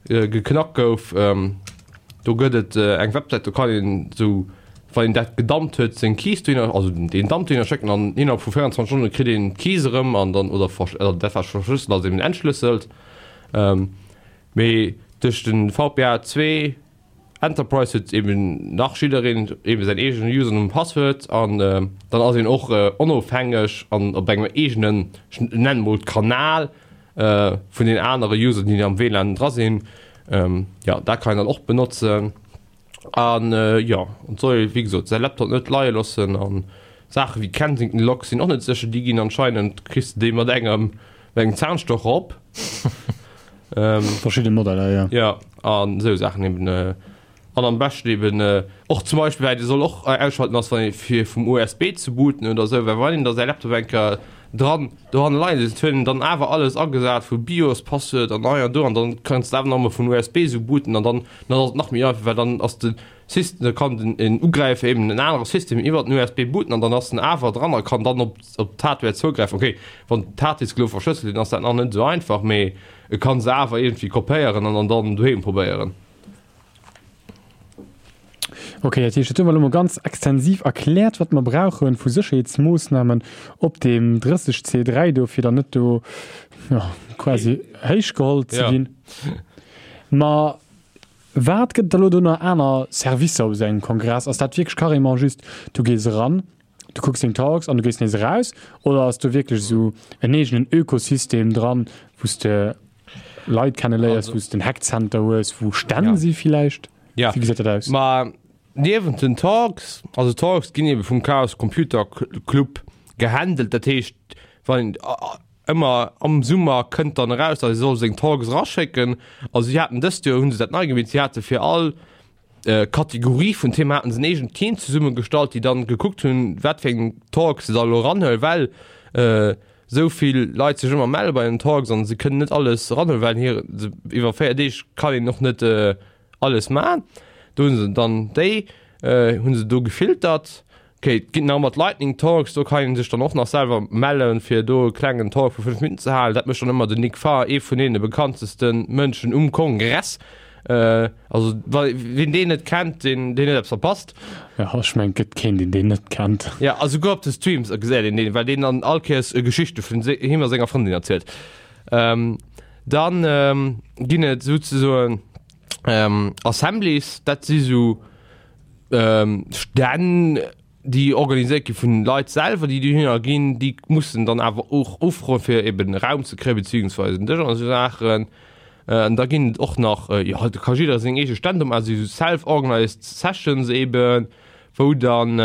geknackt gouf. Do gëtt et eng Websäit, do kann een esou, wann een dat gedumpt huet, seng Keys dohinner, also deen Dump dohinner schécken an innerhalb vu 24 Stonne kritt een d'Keys erëm an dann, oder dat wat verschlësselt ass, eben entschlësselt. Mee duerch den VPA 2 Enterprise huet eben nach jiddereen eben säin eegene Username an Passwuert an dann ass een och onofhängeg an op engem eegenen, ech nennen mol Kanal vun den anere User déi am WLAN dra sinn. Jo dat kann een dann och benotzen an jo et soll ee wéi gesot säi Laptop net leie loossen an Saache wéi Kensington Locks sinn och net sécher, déi ginn anscheinend kriss de déi mat engem mat engem Zahnstocher op. Ähm, Verschidde Modeller, ja. Ja, an esou Saachen eben. Äh, an am beschten eben äh, och zum Beispill, well Dir soll och äh, ausschalten ass, wann ee fir vum USB ze booten oder esou, well wann een da säi Laptop eng Kéier dran dohanne leien huet, huet en dann awer alles agesat vu BIOS, Passwuert an hei an do an dann kanns de awer nach emol vum USB esou booten an dann dann ass et nach méi einfach, well dann ass de System, da kann den en Ugräifer eben en anere System iwwer den USB booten an dann ass en awer dran a kann dann op op d'Hardware zougräifen. Okay, wann d'Harddisk elo verschlësselt sinn, ass dat nach net esou einfach, mee e kann se awer iergendwéi kopéieren an an dann doheem probéieren. Okay, dat heescht, dat hu mer elo mol ganz extensiv erkläert, wat mer brauche vu Sécherheetsmoossnamen op deem 30 C3 do, fir dann net do, jo, quasi héichgeholl ze ginn. Ma Wat gëtt et da lo do nach aner Servicer op esou engem Kongress? Ass dat wierklech carrément just, du gees eran, du kucks deng Talks an du gees nees eraus? Oder ass do wierklech esou en eegenen Ökosystem dran, wou s de Leit kenneléiers, wou s de en Hackcenter hues, wou Stänn si villäicht? Ja. Wéi gesäit dat aus? Ma niewent den Talks, also Talks ginn ebe vum Chaos Computer Club gehandelt, dat heescht wann Ëmmer am Summer kënnt dann eraus, datt ee soll seng Talks eraschécken. Also si haten dëst Joer, hu se dat nei gemeet, si hate fir all Kategorie vun Thema haten se en eegent Team zesummegestallt, déi dann gekuckt hunn, wat fir eng Talks se da elo eranhuelen, well esou vill Leit sech ëmmer melle bei den Talks an se kënnen net alles eranhuelen, well hir iwwer 4 Deeg kann een och net alles man. Do hunn se dann déi hunn se do gefiltert. Ok, et ginn nach ëmmer d'Lightning Talks, do kann ee sech dann och nach selwer mellen, fir do e klengen Talk vu 5 Minutten ze halen. Dat mécht dann ëmmer den Nick Farr, ee vun deene bekannteste Mënschen um Kongress. Also wa wien deen net kennt, deen deen huet eppes verpasst. Jo, ech mengen, et gëtt keen, deen deen net kennt. Jo, a souguer op de Streams gesäit een deen, well deen dann all Kéiers Geschichte vun him a senger Frëndin erzielt. Dann ginn et souzesoen Assemblies, dat si sou Stänn. déi organiséiert gi vun Leit selwer, déi dohinner ginn, déi mussen dann awer och ufroen, fir eben Raum ze kréien, beziehungsweise en Dësch an esou Saachen. An da ginn et och nach, jo, do ka jidder seng eege Stänn do maachen, esou self-organized sessions eben, wou dann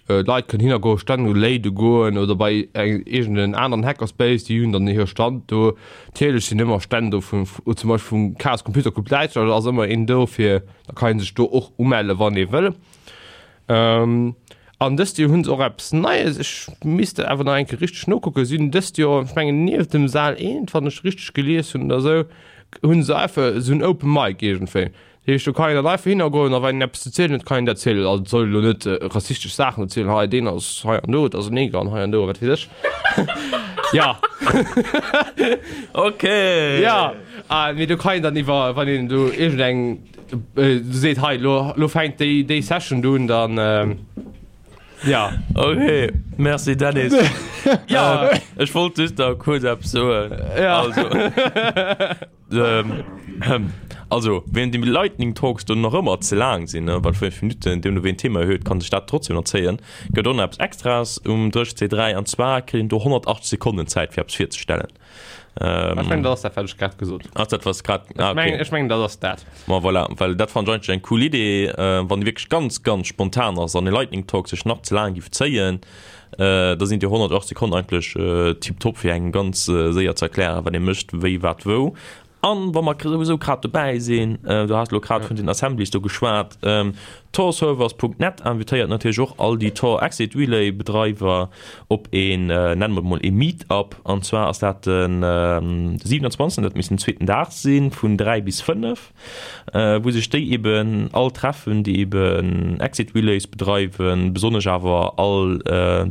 Leit kënnen hinnergoen, Stänn léide goen oder bei iergend en aneren Hackerspace, déi hunn dann hire Stand do. Natierlech sinn ëmmer Stänn do vun, zum Beispill vum Chaos Computer Club Däitschland, do ass ëmmer een do fir, da kann ee sech do och umelle wann ee wëll. An dëst Joer hunn se och eppes Neies, ech misst dat awer nach eng Kéier richteg nokucken, si hunn dëst Joer, ech mengen nieft dem Saal 1, wann ech richteg gelies hunn oder esou, hunn se einfach esou en Open Mic iergendwéi. Dat heescht, do kann een dann einfach hinnergoen a wann een eppes ze zielen huet, kann een dat zielen. Also et soll elo net rassistesch Saachen erzielen, hei deen ass hei an do, et ass en Neger an hei an do a wat weess ech. Ja. Okay. Ja, mee do kann een dann iwwer, wann een do iergendeng seet, hei lo, lo fänkt déi, déi Session do un, dann ja. Okay, merci Dennis. Ja. Ech wollt just nach kuerz eppes soen. Ja. Also, ähm, also wéi déi Lightning Talks do nach ëmmer ze laang sinn, ne, well 5 Minutten, deemno wéi een Thema huet, kann sech dat trotzdem nach zéien, gëtt och nach eppes Extraes um 30.3 an zwar kritt een do 180 Sekonnen Zäit fir eppes virzestellen. Ähm, ech mengen, dat ass dat, wat ech grad gesot hunn. Ass dat, wat grad. Ah, okay. Ech mengen, dat ass dat. Ma voilà, well dat fand ech eigentlech eng cool Idee, äh, wann déi wierklech ganz, ganz spontan ass an e Lightning Talk sech nach ze laang giff zéien, äh, da sinn déi 108 Sekonnen eigentlech äh, tiptop fir engem ganz äh, séier ze erklären, wat ee mécht, wéi, wat, wou. An wa mer souwisou grad dobäi sinn, du has elo grad vun den Assemblies do geschwat, Torservers.net invitéiert natierlech och all déi Tor Exit Relay Bedreiwer op een, nenne mer et mol ee Meetup. An zwar ass dat den 27, dat misst den zweeten Dag sinn, vun 3 bis 5. wou sech déi eben all treffen, déi eben Exit Relays bedreiwen, besonnesch awer all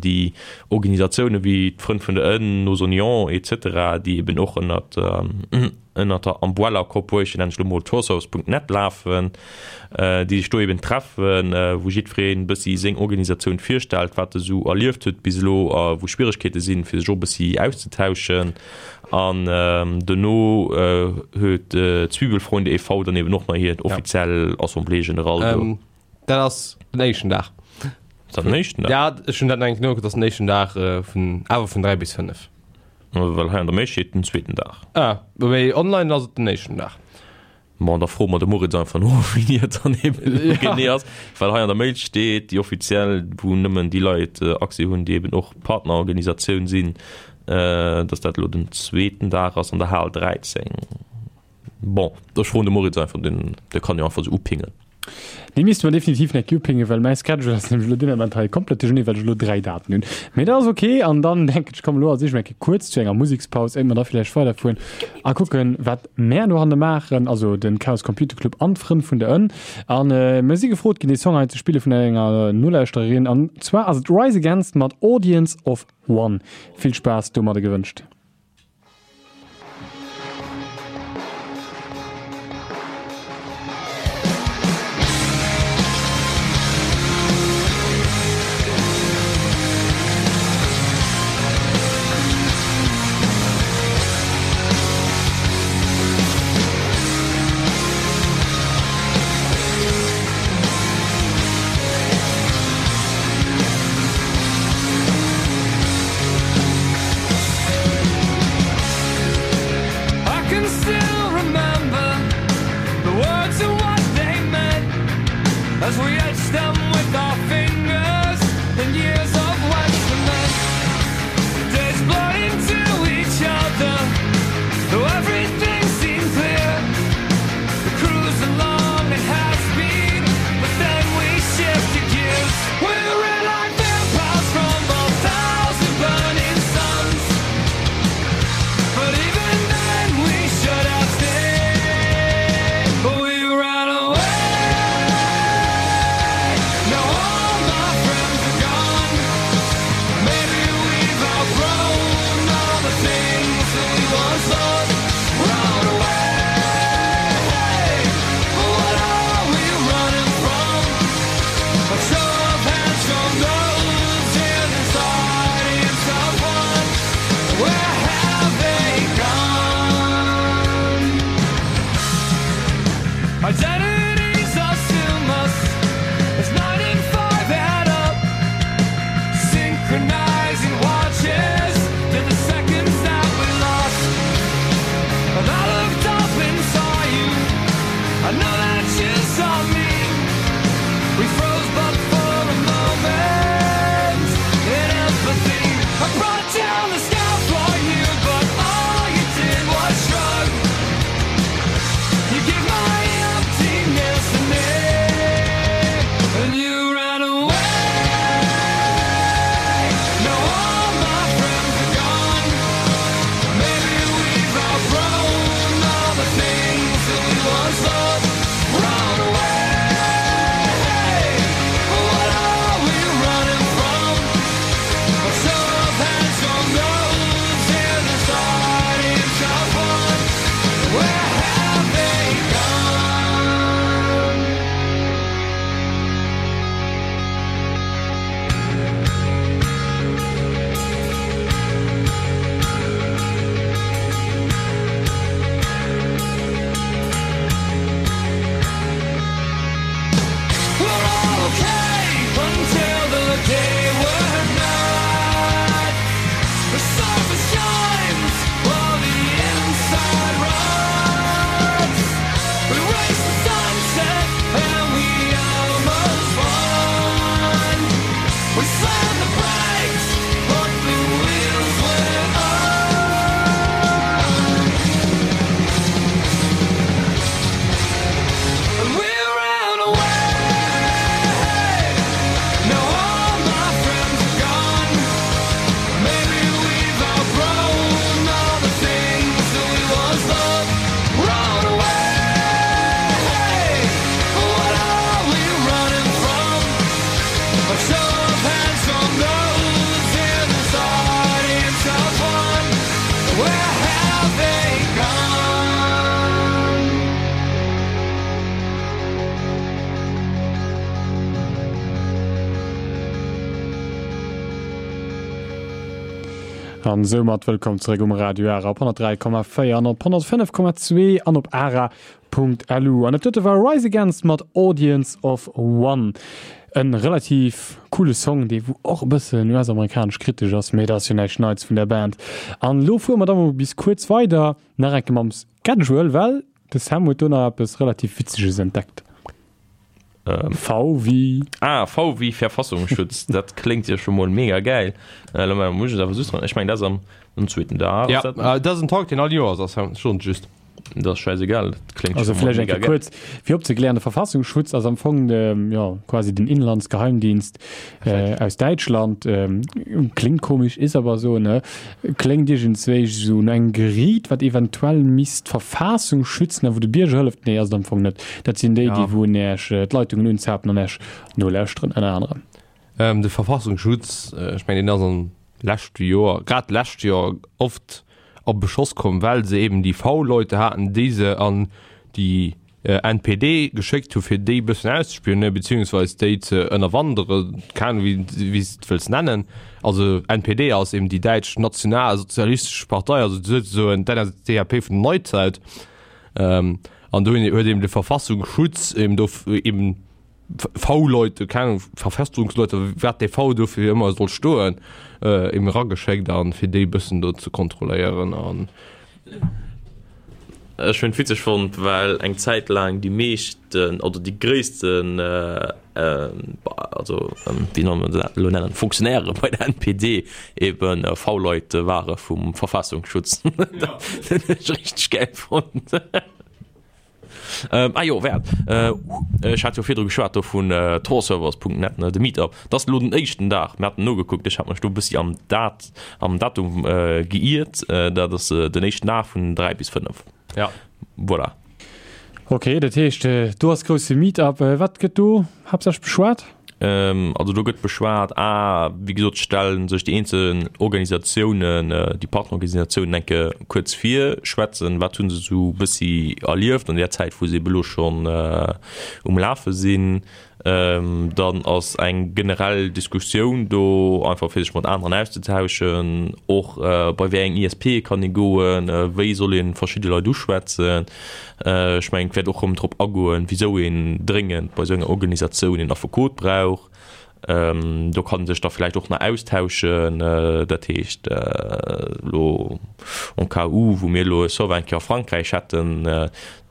déi Organisatioune wéi d'Frënn vun der Ënn, Nos Oignons et cetera, déi eben och ënnert ënnert der Umbrella Corporation, nennen ech elo mol Toursource.net lafen, déi sech do eben treffen, wou jiddwereen e bëssi seng Organisatioun virstellt, wat e sou erlieft huet bis elo a wou Schwieregkeete sinn, fir sech och e bëssi auszetauschen. An dono huet d'Zwiebelfreunde e.V. dann eben och nach hir offiziell Assemblée générale do. Dat ass den éischten Dag. Ass dat den éischten Dag? Ja, ech hunn dat nach eng Kéier nogekuckt, dat ass den éischten Dag vun, awer vun 3 bis 5. Well hei an der Mail steet den zweeten Dag. Ah, mee online ass et den éischten Dag. Bon, da froe mer de Moritz einfach no, wéini et dann eben elo genee ass. Well hei an der Mail steet, déi offiziell, wou nëmmen déi Leit Accès hunn, déi eben och Partnerorganisatioun sinn, dass dat elo den zweeten Dag ass an der Hal 13. Bon, ech froen de Moritz einfach, deen, dee kann jo einfach esou upingen. Dee misste mer definitiv nek upingen, well mäi Schedule ass nämlech elo deen Ament hei komplett duercherneen, well ech elo 3 Daten hunn. Mee dat ass ok. An dann denken ech, komm elo als éischt mol eng Kéier kuerz zu enger Musekspaus, éier mer da villäicht weiderfueren a kucken, wat mär dohanne maachen, also de Chaos Computer Club an d'Frënn vun der Ënn. An mir si gefrot ginn, dee Song hei ze spille vun enger Nolauschtererin, an zwar ass et Rise Against mat Audience of One. Vill Spaass domadde gewënscht. An soumat wëllkomm zeréck um Radio Ara op 103,4 an op 105,2 an op ara.lu. An dat dote war Rise Against mat Audience of One. En relativ coole Song, dee wou och e bëssen US-amerikanesch kritesch ass, mee dat ass jo näischt Neits vun der Band. An elo fuere mer da mol bis kuerz weider, nach eng Kéier mam Schedule, well de Sam huet do nach eppes relativ Witzeges entdeckt. V wéi. Ah, V wéi Verfassungsschutz, dat kléngt jo scho mol mega gäil. Lo muss ech et awer just ran, ech mengen dat ass am am zweeten Dag. Ja, dat ass en Talk deen all Joers ass, schon just. Dat ass schäisegal, dat kléngt Also scho mol vläicht eng mega Kéier gäil. kuerz fir opzeklären, de Verfassungsschutz ass am Fong de, jo, quasi den Inlandsgeheimdienst aus Däitschland. Kléngt komesch, is awer esou, ne? Kléngt iergendswéi esou no engem Geriit, wat eventuell misst d'Verfassung schützen a wou de Bierger hëlleft. Nee, ass et am Fong net. Dat sinn déi, déi wou Äech d'Leitungen unzapen an Äech nolauschteren, ënner anerem. De Verfassungsschutz, ech mengen, deen ass am leschte Joer, grad d'lescht Joer oft a Beschoss komm, well se eben déi V-Leute haten, déi se an déi NPD geschéckt hu fir déi bëssen auszespionéieren, beziehungsweis déi ze ënnerwanderen, keng Ahnung wéi wéi s de et wëlls nennen. Also NPD ass eben déi däitsch nationalsozialistesch Partei, also souzesoen d'NSDAP vun der Neuzeit. An do huet eben de Verfassungsschutz eben do eben V-Leute, keng Ahnung, Verfestungsleute, wat dee V do fir ëmmer soll stoen, eben erageschéckt an fir déi bëssen do ze kontrolléieren an. Ech hunn et witzeg fonnt, well eng Zäit laang déi meeschten oder déi gréissten, also wéi soll man dat elo nennen, Fonctionnairë bei der NPD ebe V-Leit ware vum Verfassungsschutz. Dat hunn ech richteg gäil fonnt. Ah jo, wäert. Ech hat jo virdru geschwat do vun torservers.net, ne, de Meetup. Dat ass elo den éischten Dag. Mir haten nogekuckt, ech hat mech do e bëssi am Dat, am Datum geiert. Dat ass den éischten Dag vun 3 bis 5. Ja. Voilà. Ok, dat heescht, do ass grousse Meetup. Wat gëtt do haaptsächlech beschwat? Also do gëtt beschwat, a wéi gesot stelle sech déi eenzel Organisatiounen, déi Partnerorganisatiounen eng Kéier kuerz vir, schwätzen, wat hu se esou e bëssi erlieft an där Zäit, wou se ebe elo schonn um Lafe sinn. Dann ass eng generell Diskussioun do, einfach fir sech mat aneren auszetauschen, och bei wéi eng ISP kann ee goen, wéi soll ee verschidde Leit uschwätzen. Ech mengen, et wäert och erëm drop agoen, wisou een dréngend bei esou enger Organisatioun een Affekot brauch. Do kann ee sech da vläicht och nach austauschen. Dat heescht, elo en cas où, wou mir elo e Server eng Kéier a Frankräich hätten,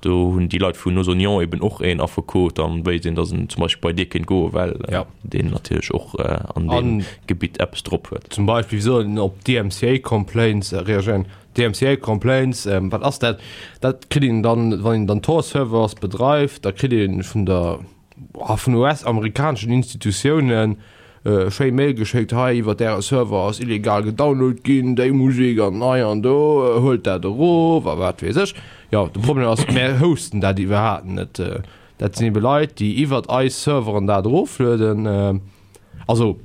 do hunn déi Leit vun Nos Oignons eben och een Affekot, dann wéisst een, datt een zum Beispill bei dee kéint goen, well deen natierlech och an deem Gebitt eppes drop huet. Zum Beispill, wéi soll een op DMCA-Complaints reagéieren? DMCA Complaints, wat ass dat? Dat kritt een dann, wann een dann Tor-Servers bedreift, da kritt een vun der, vun US-amerikaneschen Institutiounen schéi Mail geschéckt, hei iwwert äre Server ass illegal gedownload ginn, déi Musek an hei an do, huelt dat erof a wat weess ech. Jo, de Problem ass, mär hosten dat iwwerhaapt net. Dat sinn ebe Leit, déi iwwert eis Serveren dat eroflueden. Also.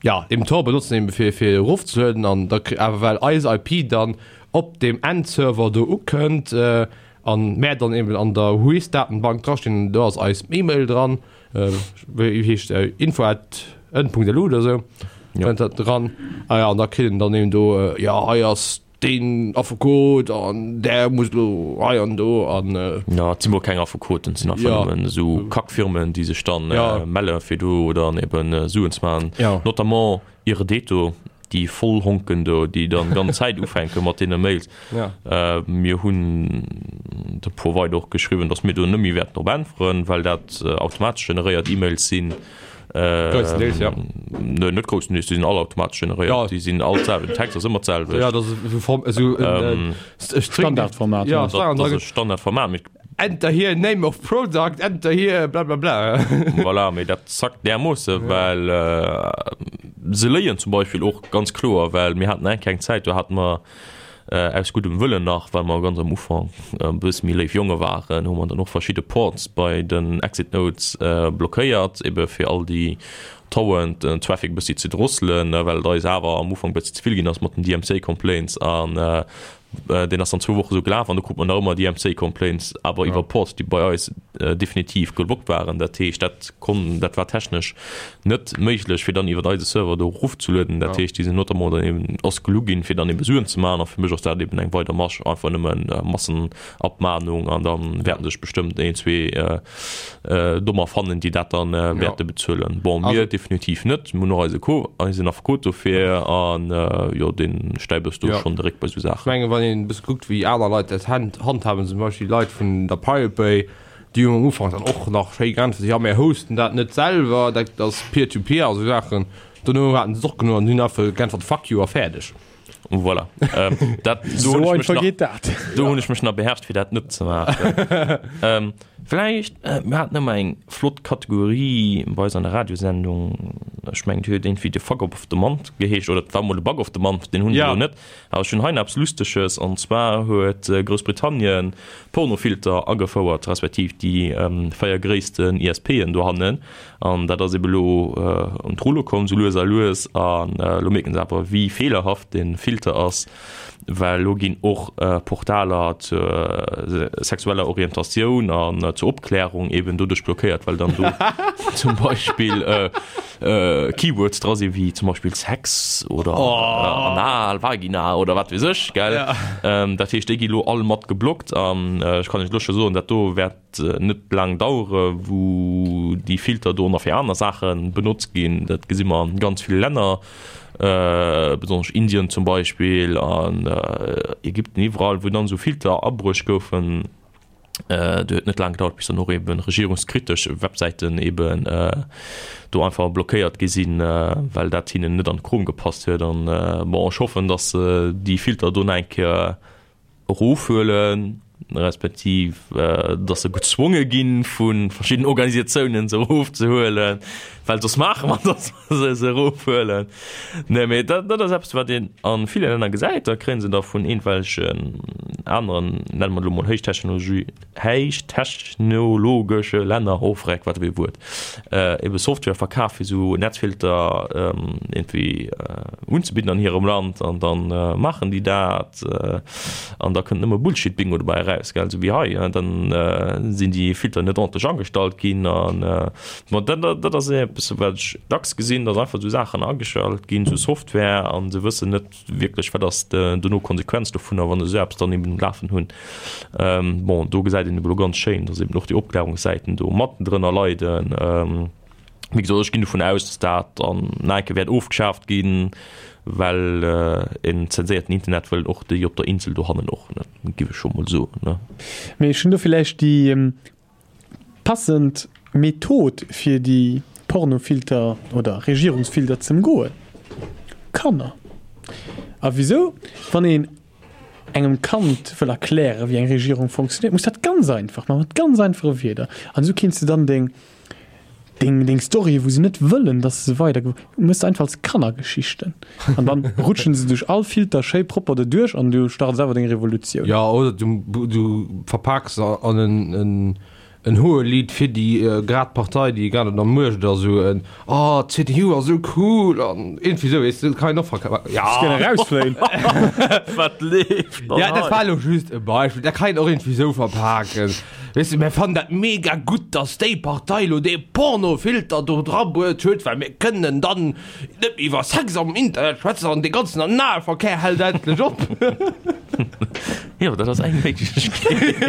Jo, eben Tor benotzen eben fir fir erofzelueden an da awer well eis IP dann op dem Endserver do ukënnt an mär dann eben an der Whois Datenbank dra stinn, do ass eis Email dran, wéi heescht se info at en.lu oder sou kënnt dat dran. Ah ja, an da kritt een dann eben do, jo hei ass Deen Affekot an där muss elo hei an do an. Jo, et si mol keng Affekoten, et sinn einfach nëmmen esou Kackfirmen, déi sech dann melle fir do dann eben Suen ze maachen. Notamment Irdeto, déi Vollhonken do, déi dann ganz Zäit ufänke mat deene Mails. Mir hunn de Provider och geschriwwen, datt mir do net méi wäerten drop äntweren, well dat automatesch generéiert E-Mails sinn. Gréisstendeels, ja. Nee, net gréisstendeels, déi sinn all automatesch generéiert. Ja. Déi sinn all d'selwecht, den Text ass ëmmer d'selwecht. Ja, dat ass esou Form, esou en Standardformat. Ja, dat ass e Standardformat. Mee Enter here name of product, enter here bla bla bla. Voilà, mee dat zackt därmoosse, well se léien zum Beispill och ganz kloer, well mir haten eng kleng Zäit, do hate mer Aus guddem Wëllen nach, well mer ganz am Ufank e bësse méi léif Jonge waren, hu mer dann och verschidde Ports bei den Exit Nodes blockéiert, ebe fir all déi Torrent Traffic e bëssi ze drosselen, well et eis awer am Ufank e bëssi ze vill ginn ass mat den DMCA Complaints. An. Deen ass dann zwou Woche sou gelaf an do krut mer nach ëmmer DMCA Complaints, awer iwwer Ports, déi bei eis definitiv geblockt waren. Dat heescht, dat konn, dat war technesch net méiglech, fir dann iwwer eise Server do erofzelueden. Dat heescht, déi sinn notamment dann eben ass gelu ginn, fir dann eben Suen ze maachen. A fir mech ass dat eben eng weider Masch, einfach nëmmen Massenabmahnung an da wäerten sech bestëmmt een, zwee Dommer fannen, déi dat dann wäerte bezuelen. Bon, mir definitiv net. Mir hunn och eise Co, eisen Affekot dofir an jo, dee stäipt eis do schonn de Réck bei esou Saachen. Ech mengen, wann een e bësse kuckt, wéi aner Leit dat handhaben, zum Beispill déi Leit vun der Pirate Bay, déi hunn am Ufank dann och nach schéi geäntwert, jo, mir hosten dat net selwer, dat ass Peer-to-Peer a sou Saachen. Dono haten se et och genuch an hunn einfach geäntwert, Fuck you a fäerdeg. Voilà. Ähm, dat, do So hunn ech mech einfach nach, geet dat. do hunn ech mech nach beherrscht, fir dat net ze maachen. ähm, vläicht, äh, mir haten ëmmer eng flott Kategorie bei eis an der Radiosendung. Ech mengen, déi huet iergendwéi de Fuck of the Month geheescht oder et war mol de Bug of the Month, deen hunn ech Ja. elo net. Awer ech hunn hei nach eppes Lusteges an zwar huet äh, Groussbritannien Pornofilter agefouert, respektiv déi ähm, 4 gréissten ISPen dohannen. An dat ass ebe lo un d'Rulle komm, sou lues a lues. An elo mierken se awer, wéi feelerhaft dee Filter ass, well elo ginn och Portaler zur sexueller Orientatioun an zur Opklärung eben doduerch blockéiert, well dann do zum Beispill Keywords dra sinn, wéi zum Beispill Sex oder anal, vagina oder wat weess ech, gell. Dat heescht, déi gi lo all mat geblockt. An ech kann Iech elo scho soen, dat do wäert net laang dauere wou déi Filter do nach fir aner Saache benotzt ginn. Dat gesi mer an ganz ville Länner, besonnesch Indien zum Beispill an Ägypten, iwwerall wou dann esou Filter abruecht goufen. Do huet net laang gedauert bis dann och eben regierungskritesch Websäiten eben do einfach blockéiert gi sinn, well dat hinnen net an de Krom gepasst huet. An bon, ech hoffen, datt déi Filter do nach eng Kéier erofhuelen, respektiv datt se gezwonge gi vu verschiddenen Organisatiounen se erofzehuelen, well soss maache mer datt se se erofhuelen. Nee, mee dat dat ass eppes wat een a ville Länner gesäit, da kréie se da vun iergendwelchen aneren, nenne mer et elo mol héichtechnologie, héichtechnologesche Länner, oh vreck, wat e Wuert, ebe Software verkaf fir esou Netzfilter iergendwéi unzebidden an hirem Land an da maachen déi dat an da kënnt nëmme Bullshit-Bingo dobäi eraus, gell, esou wéi hei. Dann sinn déi Filter net ordentlech agestallt ginn an bon, dat dat ass eppes wat ech dacks gesinn, datt einfach esou Saachen ageschalt ginn, esou Software a se wëssen net wierklech, wat ass dono d'Konsequenz dovunner, wann se esou eppes dann eben um Lafen hunn. Bon, do gesäit een elo ganz schéin, datt eben och déi Opklärungssäiten do matten drënner leiden. Wéi gesot, ech ginn dovun aus, datt dat dann nach eng Kéier wäert ofgeschaaft ginn, well en zenséierten Internet wëllen och déi op der Insel dohannen och net, géif ech scho mol soen, ne. Mee ech hunn do villäicht déi Passend Method fir déi Pornofilter oder Regierungsfilter ze emgoen? Kanner. A wisou? Wann een engem Kand wëll erklären, wéi eng Regierung funktionéiert, muss dat ganz einfach maachen, mat ganz einfache Wierder. An esou kéints de dann deng, deng, deng Story, wou se net wëllen, dass se weider, méchs de einfach als Kannergeschichten. An dann rutschen se duerch all Filter schéi propper doduerch an du starts awer deng Revolutioun. Jo, oder du, du verpaaks se an en, en, en Hohelied fir déi grad Partei, déi grad an der Muecht ass, esou en Oh, d'CDU ass esou cool an iergendwéi esou, weess de, dat kann een och verkafen. Ja. Ech géing erausfléien. Wat leeft dann Ja, dat hei? war elo just e Beispill. Dat kann een och iergendwéi esou verpaken. Weess de, mir fannen dat mega gutt, dass déi Partei elo dee Pornofilter do drabruet huet, well mir kënnen dann Net méi iwwer Sex am Internet schwätzen an dee ganzen Analverkéier hält endlech op. Jo, dat ass eng Méiglechkeet,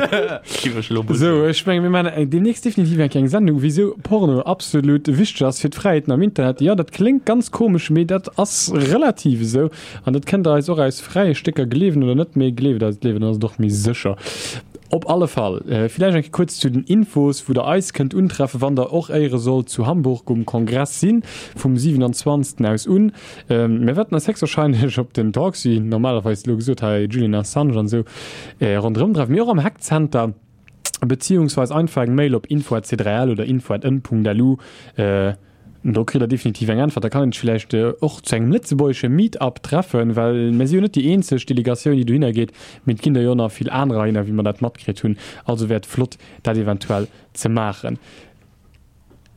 géif ech elo mol Sou, soen. ech mengen, mir maachen deemnächst definitiv eng kleng Sendung, wisou Porno absolut wichteg ass fir d'Fräiheeten am Internet. Jo, dat kléngt ganz komesch, mee dat ass relativ esou. An dat kënnt der eis och aus fräie Stécker gleewen oder net, mee gleeft eis et léiwer, dann ass et och méi sécher. Op alle Fall, villäicht eng Kéier kuerz zu den Infos, wou der eis kënnt untreffen, wann der och éiere sollt zu Hamburg um Kongress sinn, vum 27. Aus un. Mir wäerten eis héchstwahrscheinlech op den Talks, wéi normalerweis elo gesot hei Julian Assange an esou, ronderëm treffen, mee och am Hackcenter, beziehungsweis einfach eng Mail op info at c3l oder info at n.lu. Do kritt der definitiv eng Äntwert. Da kann een sech villäicht och zu engem lëtzebuergesche Meet-up treffen, well mir si jo net déi eenzeg Delegatioun, déi dohinner geet, mee et ginn der jo nach vill anerer hinner, wéi mer dat matkritt hunn. Also wär et flott, dat eventuell ze maachen.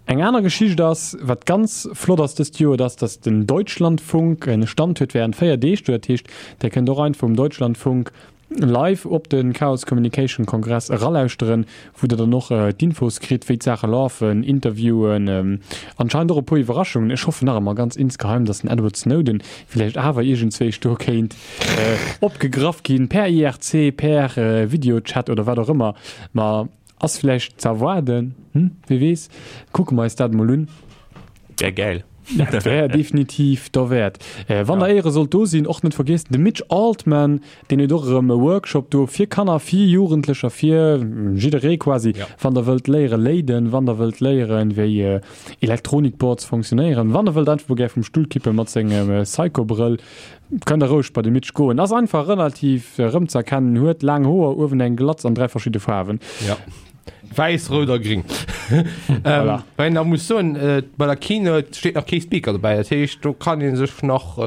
Eng aner Geschicht ass, wat ganz flott ass dëst Joer, dat ass, datt den Deutschlandfunk e Stand huet während 4 Deeg do. Dat heescht, der kënnt och einfach um Deutschlandfunk. live op de Chaos Communication Kongress eralauschteren, wou der dann och d'Infos kritt, wéi d'Saache lafen, Interviewen, anscheinend och e puer Iwwerraschungen. Ech hoffen nach ëmmer ganz insgeheim, dass den Edward Snowden villäicht awer iergendzwéi do kéint opgegraff ginn, per IRC, per Videochat oder wat och ëmmer. Ma ass villäicht ze erwaarden, hm, wie weess. Kucke mer eis dat emol un. Wär gäil. Dat wär definitiv derwäert. Wann der éiere sollt do sinn, och net vergiessen, de Mitch Altman, deen huet och erëm e Workshop do fir Kanner, fir Jugendlecher, fir jidderee quasi, wann der wëllt léiere léiden, wann der wëllt léieren, wéi Elektronikboards funktionéieren, wann der wëllt einfach mol gär vum Stull kippe mat sengem Psycho-Brëll, kënnt der roueg bei de Mitch goen. Ass einfach relativ erëmzëerkennen, huet laang Hoer, uewen eng Glatz an 3 verschidde Faarwen. Wäiss, rout a gring. Voilà. Well een nach muss soen, bei der Keynote steet nach kee Speaker dobäi. Dat heescht, do kann ee sech nach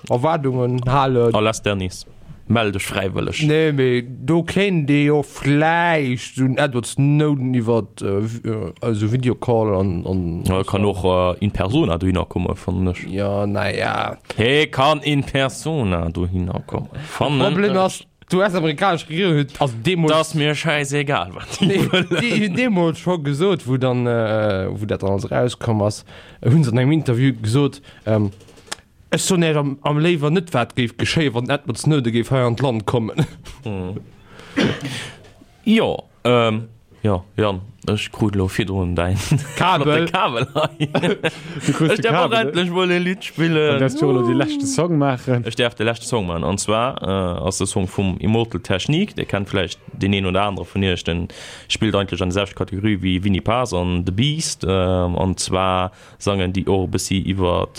Erwaardungen halen. A lass Dennis, mell dech fräiwëlleg. Nee, mee do kéint ee jo vläicht esou en Edward Snowden iwwer esou Videocall an, an. E kann och in persona dohinner kommen, fannen ech. Jo, naja. Hee kann in persona dohinner kommen, fannen ech. Problem ass, D'US-amerikanesch Regierung huet also deemools. Dat ass mir schäisegal, wat déi wëllen. Déi hunn deemools scho gesot, wou dann, wou dat dann alles erauskomm ass, hu se an engem Interview gesot, Ech soen Iech am, am léiwer net, wat géif geschéien, wann den Edward Snowden géif hei an d'Land kommen. Jo, Jo, Yann, ech krut elo virdrun däin Kabel. Kabel hei. Du krus Ech de däerf och Kabel. endlech mol e Lidd spillen. Dann däerfs du och elo dee leschte Song maachen. Ech däerf de leschte Song maachen. An zwar ass de Song vum Immortal Technique. Dir kennt vläicht deen een oder anere vun iech. Den spillt eigentlech an der selwechter Kategorie wéi Vinnie Paz an The Beast. An zwar sangen déi och e bëssi iwwer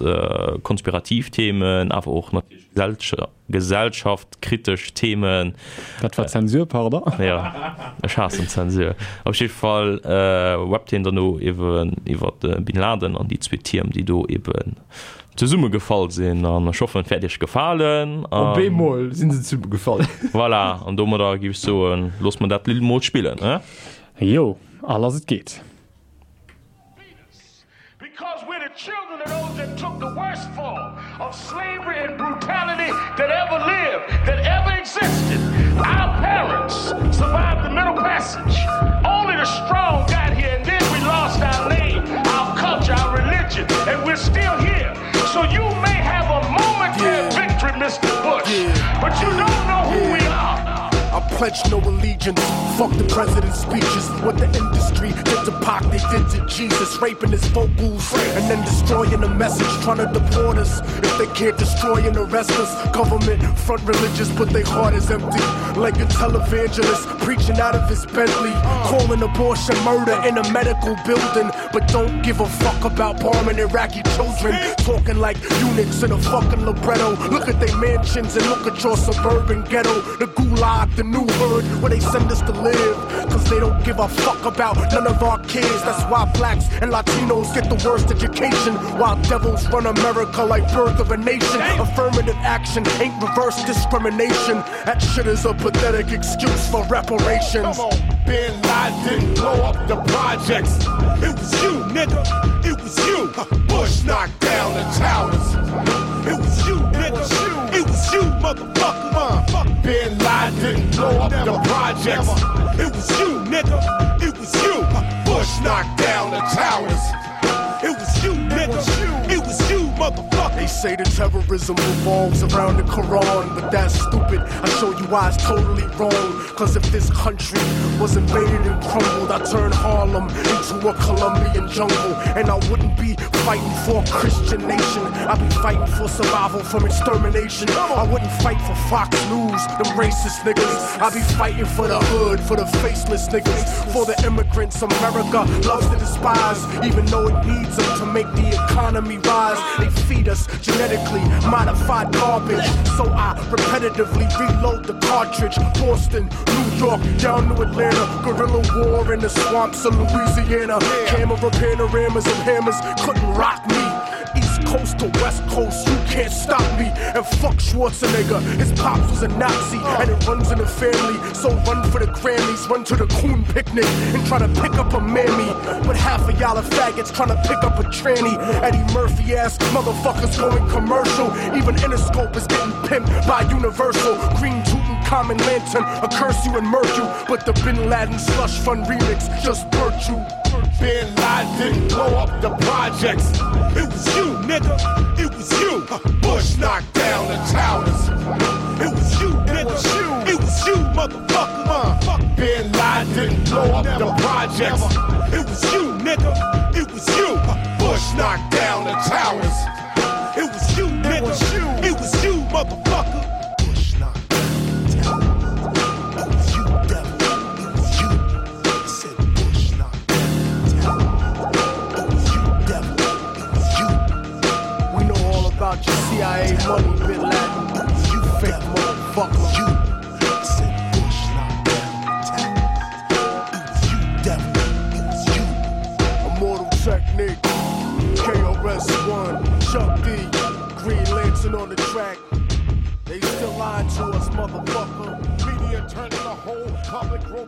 konspirativ Themen, awer och natierlech gesellschaftkritesch Themen. Dat war Zensur, pardon. Jo, ech haassen Zensur. Op jidde Fall rappt hien derno eeben iwwer de Bin Laden an déi zwee Tierm, déi do eeben zesummegefall sinn. An ech hoffen, et wäert iech gefalen. Op eemol sinn se zesummegefall. Voilà, an domadder géif ech soen, loosse mer dat Lidd mol spillen, he? Jo, a lass et geet. Because we're the children of those that took the worst form of slavery and brutality that ever lived, that ever existed. Our parents survived the Middle Passage. Only the strong got here, and then we lost our name, our culture, our religion, and we're still here. So you may have a momentary yeah. victory, Mr. Bush, yeah. but you don't know who we are. I pledge no allegiance. Fuck the president's speeches. What the industry did to Pac, they did to Jesus. Raping his vocals and then destroying the message. Trying to deport us. If they can't destroy and arrest us. Government front religious, but they heart is empty. Like a televangelist preaching out of his Bentley. Calling abortion murder in a medical building. But don't give a fuck about bombing Iraqi children. Talking like eunuchs in a fucking libretto. Look at their mansions and look at your suburban ghetto. The gulag, the new hood, where they send us to live. Cause they don't give a fuck about none of our kids. That's why blacks and Latinos get the worst education. While devils run America like birth of a nation. Affirmative action ain't reverse discrimination. That shit is a pathetic excuse for reparations. Come on. Bin Laden blow up the projects. It was you, nigga. It was you. Bush knocked down the towers. It was you, nigga. It was you, motherfucker. Bin Laden blow up the projects. It was you, nigga. It was you. Bush knocked down the towers. It was you, nigga. It was you, motherfucker. They say the terrorism revolves around the Quran, but that's stupid. I show you why it's totally wrong. Cause if this country was invaded and crumbled, I'd turn Harlem into a Colombian jungle. And I wouldn't be fighting for a Christian nation. I'd be fighting for survival from extermination. I wouldn't fight for Fox News, them racist niggas. I'd be fighting for the hood, for the faceless niggas, for the immigrants America loves to despise, even though it needs them to make the economy rise. They feed us genetically modified garbage, so I repetitively reload the cartridge. Boston, New York, down to Atlanta, guerrilla war in the swamps of Louisiana. Camera panoramas and hammers couldn't rock me. East Coast to West Coast, you can't stop me. And fuck Schwarzenegger, his pops was a Nazi, and it runs in the family. So run for the Grammys, run to the coon picnic, and try to pick up a mammy. But half of y'all are faggots trying to pick up a tranny. Eddie Murphy ass motherfuckers going commercial. Even Interscope is getting pimped by Universal. Green tootin' Common Lantern, I curse you and murk you. But the Bin Laden slush fund remix just burnt you. Bin Laden didn't blow up the projects. It was you, nigga. It was you. Bush knocked down the towers. It was you, nigga. It was you, motherfucker. Bin Laden didn't blow up the projects. It was you, nigga. It was you. Bush knocked down the towers. It was you, nigga. It was you, motherfucker. Bush knocked down the towers. It was you, devil. It was you. I said Bush knocked down the towers. It was you, devil. It was you. We know all about your CIA money, Bin Laden. You fake motherfucker. You. I said Bush knocked down the towers. It was you, devil. It was you. Immortal Technique, KRS-One, Chuck D, Green Lantern on the track. They still lying to us, motherfucker. Media turning the whole public robotic.